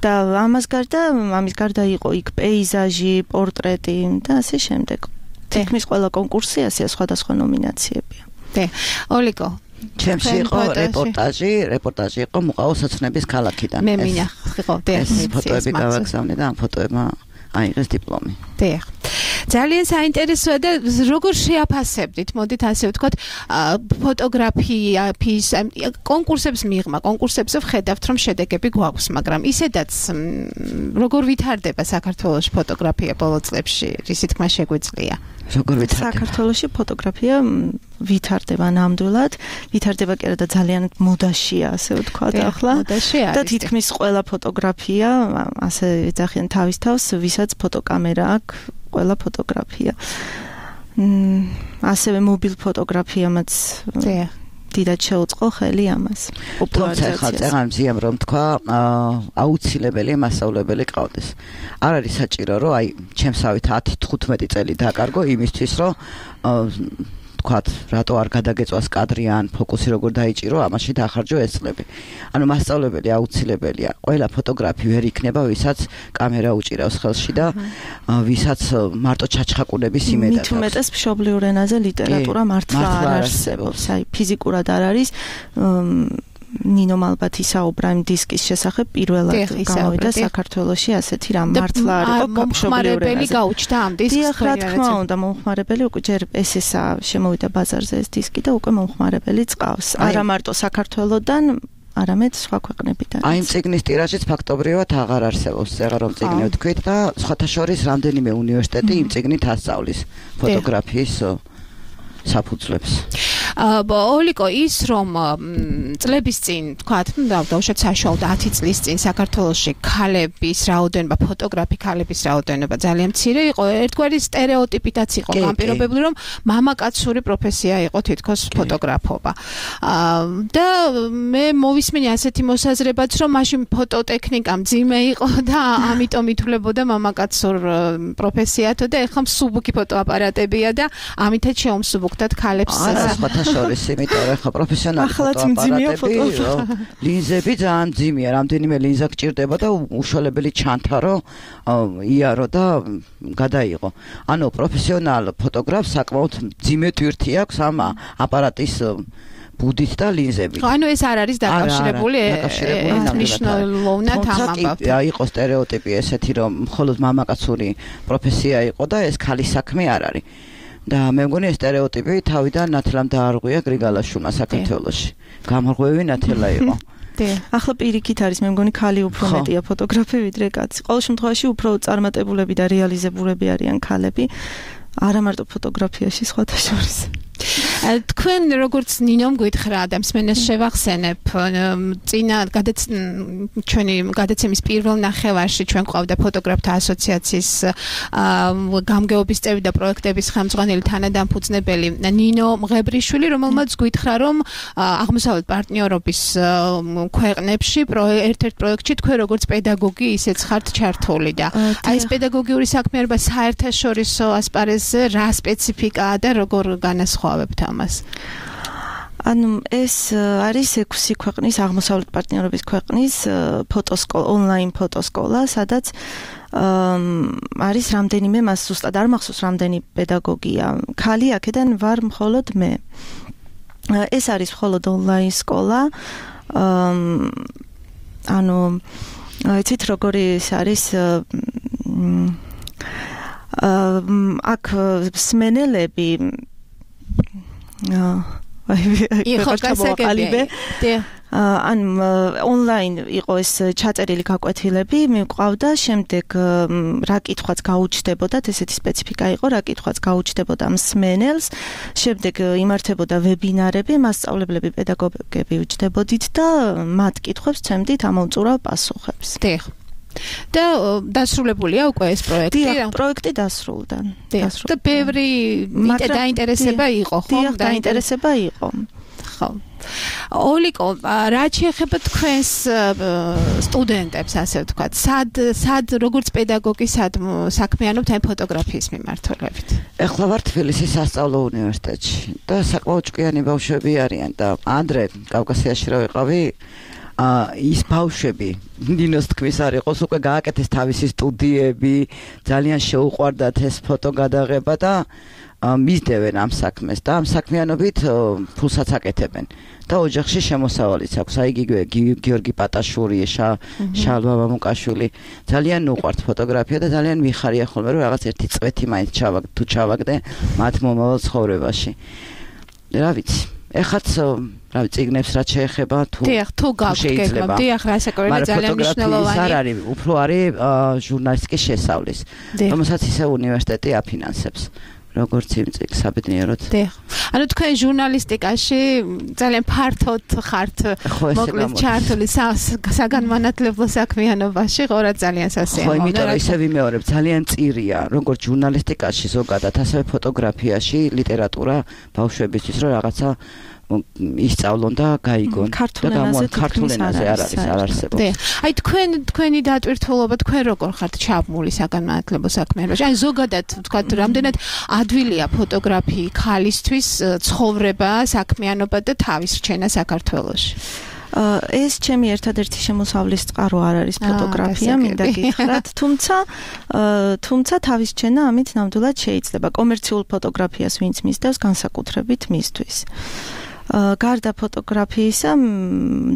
და ამას გარდა, ამის გარდა იყო იქ პეიზაჟი, პორტრეტი და ასე შემდეგ. თითქმის ყველა კონკურსი ასეა, სხვადასხვა ნომინაციებია. დე, ოლიკო ჩემში იყო რეპორტაჟი, რეპორტაჟი იყო მუყაოს-ოცნების ქალაქიდან. მე მინახო, დე, ეს ფოტოები გავაგზავნე და ამ ფოტოებმა აიღეს დიპლომი. დიახ. ძალიან საინტერესოა და როგორ შეაფასებდით? მოდით ასე ვთქვათ, ფოტოგრაფიის კონკურსებს მიღმა, კონკურსებზე ვხედავთ, რომ შედეგები გვაქვს, მაგრამ ისედაც როგორ ვითარდება საქართველოს ფოტოგრაფია ბოლო წლებში? რისი თქმა შეგვიძლია? როგორ ვითარდება? საქართველოში ფოტოგრაფია ვითარდება ნამდვილად, ვითარდება კი არა და ძალიან მოდაშია, ასე ვთქვათ ახლა. და თითქმის ყველა ფოტოგრაფია ასე ეძახიან თავის თავს, ვისაც ფოტოკამერა აქვს, ყველა ფოტოგრაფია. ასევე მობილ ფოტოგრაფიამაც დიდად შეუწყო ხელი ამას. თუმცა ხა წეგან მზიამ რომ თქვა, აუცილებელი მასწავლებელი ყავდეს. არ არის საჭირო რომ აი ჩემსავით ათი თხუთმეტი წელი დაკარგო იმისთვის რომ თქვათ, რატო არ გადაგეწვას კადრი ან ფოკუსი როგორ დაიჭირო, ამაში დაახარჯო ეს წლები. ანუ მასწავლებელი აუცილებელია. ყველა ფოტოგრაფი ვერ იქნება, ვისაც კამერა უჭირავს ხელში და ვისაც მარტო ჩაჩხაკუნების იმედა აქვს. მით უმეტეს მშობლიურ ენაზე ლიტერატურა მართლა არ არსებობს. აი ფიზიკურად არ არის ნინომ ალბათ ისაუბრა იმ დისკის შესახებ პირველად გამოვიდა საქართველოში ასეთი რამ მართლა არ იყო მომხმარებელი გაუჩნდა ამ დისკს. დიახ, რა თქმა უნდა, მომხმარებელი უკვე ჯერ ეს ესა შემოვიდა ბაზარზე ეს დისკი და უკვე მომხმარებელი წყავს. არა მარტო საქართველოდან არამედ სხვა ქვეყნებიდან. აი იმ წიგნის ტირაჟიც ფაქტობრივად აღარ არსებობს, ეგ რომ წიგნი ვთქვით და სხვათა შორის რამდენიმე უნივერსიტეტი იმ წიგნით ასწავლის ფოტოგრაფიის საფუძვლებს. ოლიკო ის რომ წლების წინ თქვათ, ну და უშოთ საშუალოდ ათი წლის წინ საქართველოში ქალების რაოდენობა, ფოტოგრაფი ქალების რაოდენობა ძალიან მცირე იყო. ერთგვარი სტერეოტიპითაც იყო ამ პირობებში, რომ მამაკაცური პროფესია იყო თითქოს ფოტოგრაფობა. და მე მოვისმენი ასეთი მოსაზრებაც, რომ მაშინ ფოტოტექნიკა მძიმე იყო და ამიტომ ითვლებოდა მამაკაცურ პროფესიათო და ეხლა მსუბუქი ფოტოაპარატებია და ამითაც შეუმსუბუქდათ ქალებს. შორის, იმიტომ რომ ხა პროფესიონალი ფოტოაპარატები, ლინზები ძალიან მძიმეა, რამდენიმე ლინზა გჭირდება და უშუალებელი ჩანთარო, იარო და გადაიღო. ანუ პროფესიონალ ფოტოგრაფს საკმაოდ მძიმე ტვირთი აქვს ამ აპარატის ბუდით და ლინზებით. ანუ ეს არ არის დაკავშირებული მნიშვნელოვნად ამ ამბავთან. თუმცა იყო სტერეოტიპი ესეთი, რომ მხოლოდ მამაკაცური პროფესია იყო და ეს ქალის საქმე არ არის. და მე მგონი ეს სტერეოტიპი თავიდან ნათლამ დაარღვია გრიგალაშვილმა საქართველოში. გამორღვევი ნათელა იყო. ახლა პირიქით არის, მე მგონი ქალი უფრო მეტია ფოტოგრაფი ვიდრე კაცი. ყოველ შემთხვევაში უფრო წარმატებულები და რეალიზებულები არიან ქალები. არა მარტო ფოტოგრაფიაში, სხვათა შორის. თქვენ როგორც ნინომ გითხრა და მსმენელს შევახსენებ, წინა ჩვენი გადაცემის პირველ ნახევარში ჩვენ გვყავდა ფოტოგრაფთა ასოციაციის გამგეობის წევრი და პროექტების ხელმძღვანელი თანადამფუძნებელი ნინო მღებრიშვილი, რომელმაც გითხრა, რომ აღმოსავლეთ პარტნიორობის ქვეყნებში ერთ-ერთ პროექტში თქვენ როგორც პედაგოგი ისეც ხართ ჩართული და აი ეს პედაგოგიური საქმიანობა საერთაშორისო ასპარეზზე რა სპეციფიკაა და როგორ განასხვავებთ ამას? ანუ ეს არის ექვსი ქვეყნის აღმოსავლეთ პარტნიორობის ქვეყნის ფოტოსკოლა, ონლაინ ფოტოსკოლა, სადაც არის რამდენიმე, მას ზუსტად არ მახსოვს რამდენი პედაგოგია. ქალი აქედან ვარ მხოლოდ მე. ეს არის მხოლოდ ონლაინ სკოლა. ანუ იცით როგორი ეს არის აქ სმენელები იყო გასაგებია. ან ონლაინ იყო ეს ჩაწერილი გაკვეთილები, მიყვავდა, შემდეგ რა კითხვაც გაუჩნდებოდათ, ესეთი სპეციფიკა იყო, რა კითხვაც გაუჩნდებოდა მსმენელს, შემდეგ იმართებოდა ვებინარები, მასწავლებლები, პედაგოგები უჩნდებოდით და მათ კითხვებს ცემდით ამოუწურავ პასუხებს. დიახ. და დასრულებულია უკვე ეს პროექტი? დიახ, პროექტი დასრულდა. და ბევრი დაინტერესება იყო, ხო? დიახ, დაინტერესება იყო. ხო. ოლიკო, რაც შეეხება თქვენს სტუდენტებს, ასე ვთქვათ, სად სად როგორც პედაგოგი სად საქმიანობთ ამ ფოტოგრაფიის მიმართულებით? ეხლა ვარ თბილისის სასწავლო უნივერსიტეტში და საკმაოდ ჭკვიანი ბავშვები არიან და ანდრე კავკასიაში რა ვიყავი, ის ბავშვები ნინოს თქმის არ იყოს, უკვე გააკეთეს თავისი სტუდიები, ძალიან შეუყვარდათ ეს ფოტო გადაღება და მისდევენ ამ საქმეს და ამ საქმიანობით ფულსაც აკეთებენ და ოჯახში შემოსავალიც აქვს. აი გიორგი პატაშური, შალვა მამუკაშვილი ძალიან უყვართ ფოტოგრაფია და ძალიან მიხარია ხოლმე, რომ რაღაც ერთი წვეთი მაინც ჩავაგდე თუ ჩავაგდე მათ მომავალ ცხოვრებაში. რა vicი ეხაც რა წიგნებს რაც შეეხება თუ შეიძლება. დიახ, რასაკვირველია ძალიან მნიშვნელოვანი. არ არის, უფრო არის ჟურნალისტიკის შესწავლის, რომელსაც ისე უნივერსიტეტი აფინანსებს. როგორც იმ წიგნს საბედნიეროდ. დიახ. ანუ თქვენ ჟურნალისტიკაში ძალიან ფართოდ ხართ მოკლედ ჩართული საგანმანათლებლო საქმიანობაში, ხო რა ძალიან სასიამოვნო. ხო, იმიტომ რომ ისე ვიმეორებ, ძალიან წირია, როგორც ჟურნალისტიკაში ზოგადად, ასევე ფოტოგრაფიაში, ლიტერატურა ბავშვებისთვის, რომ რაღაცა ისწავლონ და გაიგონ და გამოვან ქართულ ენაზე არ არის, არ არსებობს. აი თქვენ თქვენი დატვირთულობა, თქვენ როგორ ხართ ჩაბმული საგანმანათლებლო საქმიანობაში? აი ზოგადად ვთქვათ, რამდენად ადვილია ფოტოგრაფი ქალისთვის ცხოვრება, საქმიანობა და თავის რჩენა საქართველოში? ეს ჩემი ერთადერთი შემოსავლის წყარო არ არის ფოტოგრაფია, მინდა გითხრათ, თუმცა თუმცა თავის რჩენა ამით ნამდვილად შეიძლება. კომერციულ ფოტოგრაფიას ვინც მისდევს, განსაკუთრებით მისთვის. გარდა ფოტოგრაფიისა,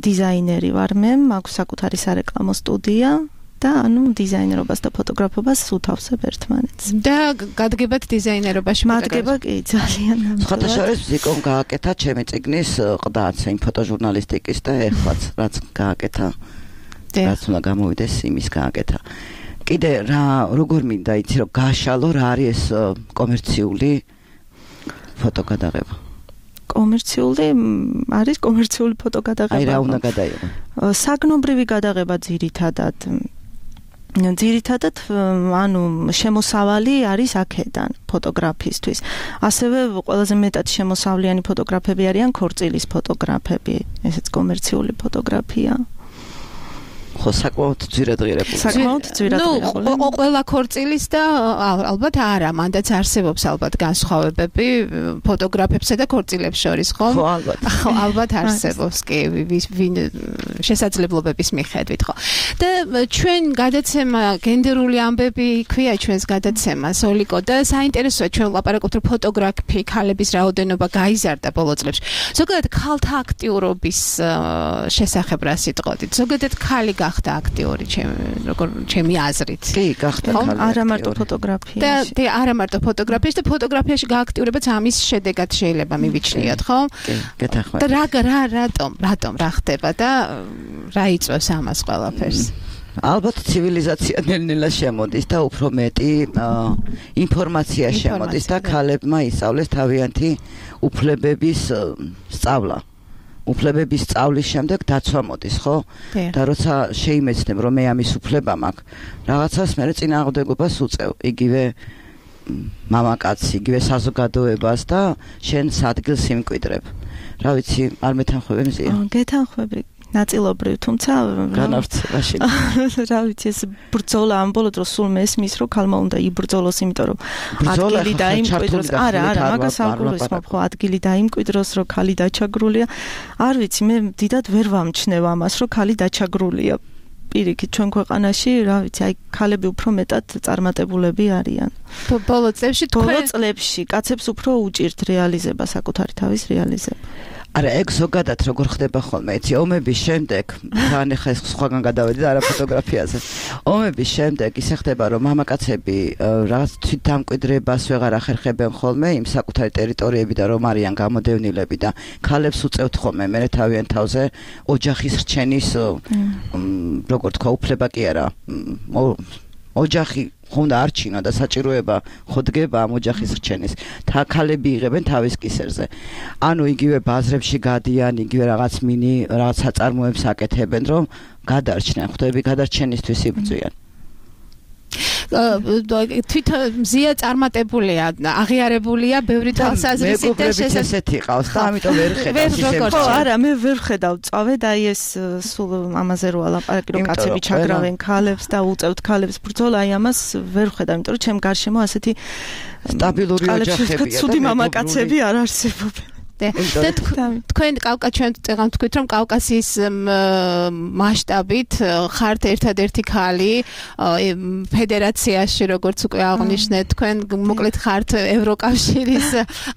დიზაინერი ვარ მე, მაქვს საკუთარი სარეკლამო სტუდია და ანუ დიზაინერობას და ფოტოგრაფობას უთავსებ ერთმანეთს. და გადგებათ დიზაინერობაში? მადგება კი ძალიან ნამდვილად. ხოთაშორის ზიკომ გააკეთა ჩემი წიგნის ყდაც იმ ფოტოჟურნალისტიკის და ეხლაც რაც გააკეთა რაც უნდა გამოვიდეს იმის გააკეთა. კიდე რა როგორ მინდა იცი რომ გაშალო რა არის ეს კომერციული ფოტოგადაღება? კომერციული არის კომერციული ფოტოგადაღება. აი რა უნდა გადაიღო? საგნობრივი გადაღება ძირითადად ძირითადად ანუ შემოსავალი არის აქედან ფოტოგრაფისტვის. ასევე ყველაზე მეტად შემოსავლიანი ფოტოგრაფები არიან ქორწილის ფოტოგრაფები. ესეც კომერციული ფოტოგრაფია. ხო საკმაოდ ძვირადღირებული. საკმაოდ ძვირადღირებული. ნუ ყველა ქორწილის და ალბათ არა, მანდაც არსებობს ალბათ განსხვავებები ფოტოგრაფებსა და ქორწილებს შორის, ხო? ხო, ალბათ. ხო, ალბათ არსებობს კი ვინ შესაძლებლობების მიხედვით, ხო. და ჩვენ გადაცემა გენდერული ამბები ქვია ჩვენს გადაცემას, ოლიკო და საინტერესოა ჩვენ ვლაპარაკობთ რომ ფოტოგრაფი ქალების რაოდენობა გაიზარდა ბოლო წლებში. ზოგადად ქალთა აქტიურობის შესახებ რა სიტყვით? ზოგადად ქალი გახდა აქტიორი ჩემი როგორ ჩემი აზრით. კი, გახდა ქალი. არა მარტო ფოტოგრაფიაში. და და არა მარტო ფოტოგრაფიაში და ფოტოგრაფიაში გააქტიურებაც ამის შედეგად შეიძლება მივიჩნიოთ, ხო? კი, გეთახმებით. და რა რა რატომ, რატომ რა ხდება და რა იწვევს ამას ყველაფერს? ალბათ ცივილიზაცია ნელ-ნელა შემოდის და უფრო მეტი ინფორმაცია შემოდის და ქალებმა ისწავლეს თავიანთი უფლებების სწავლა. უფლებების სწავლის შემდეგ დაცვა მოდის, ხო? და როცა შეიმეცნებ, რომ მე ამის უფლება მაქვს, რაღაცას მე წინააღმდეგობას უწევ, იგივე მამაკაცი, იგივე საზოგადოებას და შენ სადგილს იმკვიდრებ. რა ვიცი, არ მეთანხმები მზია? გეთანხმები. ნაწილობრივ, თუმცა განავრცებაში. რა ვიცი, ეს ბრძოლა ამ ბოლო დროს სულ მესმის, რომ ქალმა უნდა იბრძოლოს, იმიტომ რომ ადგილი დაიმკვიდროს. არა, არა, მაგას არ გულისხმობ, ხო, ადგილი დაიმკვიდროს, რომ ქალი დაჩაგრულია. არ ვიცი, მე დიდად ვერ ვამჩნევ ამას, რომ ქალი დაჩაგრულია. პირიქით, ჩვენ ქვეყანაში, რა ვიცი, აი ქალები უფრო მეტად წარმატებულები არიან. ბოლო წლებში თქვენ ბოლო წლებში კაცებს უფრო უჭირთ რეალიზება, საკუთარი თავის რეალიზება. არა, ეგ ზოგადად როგორ ხდება ხოლმე, იცი, ომების შემდეგ, თან ახლა ეს სხვაგან გადავედი და არა ფოტოგრაფიაზე. ომების შემდეგ ისე ხდება, რომ მამაკაცები რაღაც თვითდამკვიდრებას ვეღარ ახერხებენ ხოლმე იმ საკუთარი ტერიტორიებიდან, რომ არიან გამოდევნილები და ქალებს უწევთ ხოლმე მე თავიანთ თავზე ოჯახის რჩენის როგორ თქვა, უფლება კი არა. ოჯახი ხონდა არჩინა და საჭიროება ხოდგება ამ ოჯახის რჩენის. და ქალები იღებენ თავის კისერზე. ანუ იგივე ბაზრებში გადიან, იგივე რაღაც მინი რაღაც საწარმოებს აკეთებენ, რომ გადარჩნენ, ხვდები, გადარჩენისთვის იბრძვიან. თვით მზია წარმატებულია, აღიარებულია ბევრი თვალსაზრისით და შესაძლოა ესეთი ყავს და ამიტომ ვერ ხედავ. ხო, არა, მე ვერ ხედავ წავე და აი ეს სულ ამაზე რო ალაპარაკი რომ კაცები ჩაგრავენ ქალებს და უწევთ ქალებს ბრძოლა, აი ამას ვერ ხედავ, იმიტომ რომ ჩემ გარშემო ასეთი სტაბილური ოჯახებია და ცუდი მამაკაცები არ არსებობენ. და თქვენ კავკა ჩვენ წეგან თქვით რომ კავკასიის მასშტაბით ხართ ერთადერთი ქალი ფედერაციაში როგორც უკვე აღნიშნეთ თქვენ მოკლედ ხართ ევროკავშირის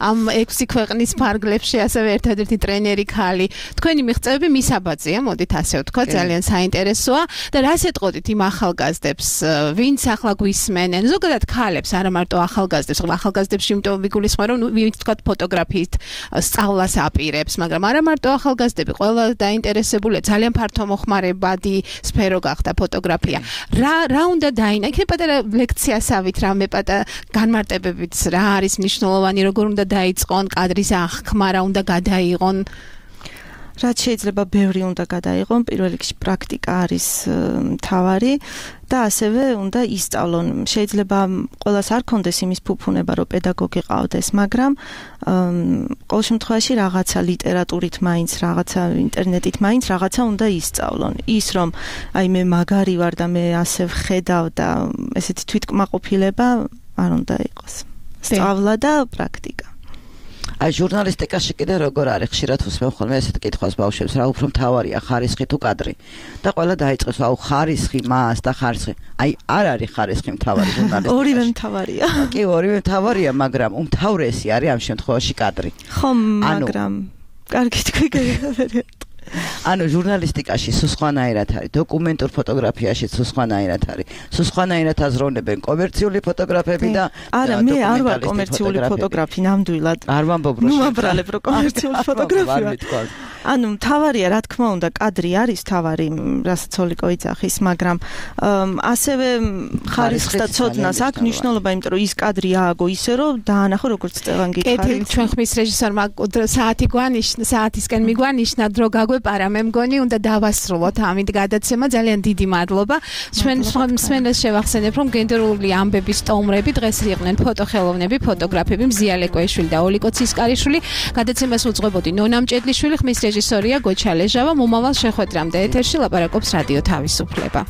ამ ექვსი ქვეყნის ფარგლებში ასევე ერთადერთი ტრენერი ქალი თქვენი მიღწევები მისაბაძია მოდით ასე ვთქვა ძალიან საინტერესოა და რას ეტყოდით იმ ახალგაზრდებს ვინც ახლა გვისმენენ ზოგადად ქალებს არა მარტო ახალგაზრდებს ახალგაზრდებში იმიტომ ვიგულისხმე რომ ვინც თქვა ფოტოგრაფიით სწავლას აპირებს, მაგრამ არა მარტო ახალგაზრდები, ყველა დაინტერესებულია, ძალიან ფართომოხმარებადი სფერო გახდა ფოტოგრაფია. რა რა უნდა დაინა? იქნება პატარა ლექციასავით, რამე პატარა განმარტებებით, რა არის მნიშვნელოვანი, როგორ უნდა დაიწყონ კადრის აღქმა, რა უნდა გადაიღონ? რაც შეიძლება ბევრი უნდა გადაიღონ, პირველ რიგში პრაქტიკა არის მთავარი და ასევე უნდა ისწავლონ. შეიძლება ყველას არ კონდეს იმის ფუფუნება, რომ პედაგოგი ყავდეს, მაგრამ ყოველ შემთხვევაში რაღაცა ლიტერატურით მაინც, რაღაცა ინტერნეტით მაინც რაღაცა უნდა ისწავლონ. ის რომ აი მე მაგარი ვარ და მე ასე ვხედავ და ესეთი თვითკმაყოფილება არ უნდა იყოს. სწავლა და პრაქტიკა. აი ჟურნალისტიკაში კიდე როგორ არის ხშირად უსმენ ხოლმე ესეთ კითხვას ბავშვებს რა უფრო მთავარია ხარისხი თუ კადრი და ყველა დაიწყებს აუ ხარისხი მას და ხარისხი აი არ არის ხარისხი მთავარი ჟურნალისტიკაში ორივე მთავარია კი ორივე მთავარია მაგრამ უმთავრესი არის ამ შემთხვევაში კადრი ხო მაგრამ კარგი თქვი გეღებერე. ანუ ჟურნალისტიკაში სხვანაირად არის, დოკუმენტურ ფოტოგრაფიაში სხვანაირად არის. სხვანაირად აზროვნებენ კომერციული ფოტოგრაფები და არა, მე არ ვარ კომერციული ფოტოგრაფი ნამდვილად. არ ვამბობ რომ ნუ ვაბრალებ რომ კომერციული ფოტოგრაფია. ანუ თავარია, რა თქმა უნდა, კადრი არის თავარი, რასაც ოლიკო იცახის, მაგრამ ასევე ხარისხს და ცოდნას აქვს მნიშვნელობა, იმიტომ რომ ის კადრი ააგო ისე რომ დაანახო როგორც წევან გითხარით. კეთილი, ჩვენ ხმის რეჟისორმა საათი გვანიშნა, საათისკენ მიგვანიშნა დრო გაგვეპარა, მე მგონი უნდა დავასრულოთ ამით გადაცემა, ძალიან დიდი მადლობა. ჩვენ მსმენელს შევახსენებ, რომ გენდერული ამბების სტუმრები დღეს იყვნენ ფოტოხელოვნები, ფოტოგრაფები მზია ლეკვეიშვილი და ოლიკო ცისკარიშვილი. გადაცემას უძღვებოდი ნონა მჭედლიშვილი, ხმის რეჟისორია გოჩა ლეჟავა. მომავალ შეხვედრამდე ეთერში ლაპარაკობს რადიო თავისუფლება.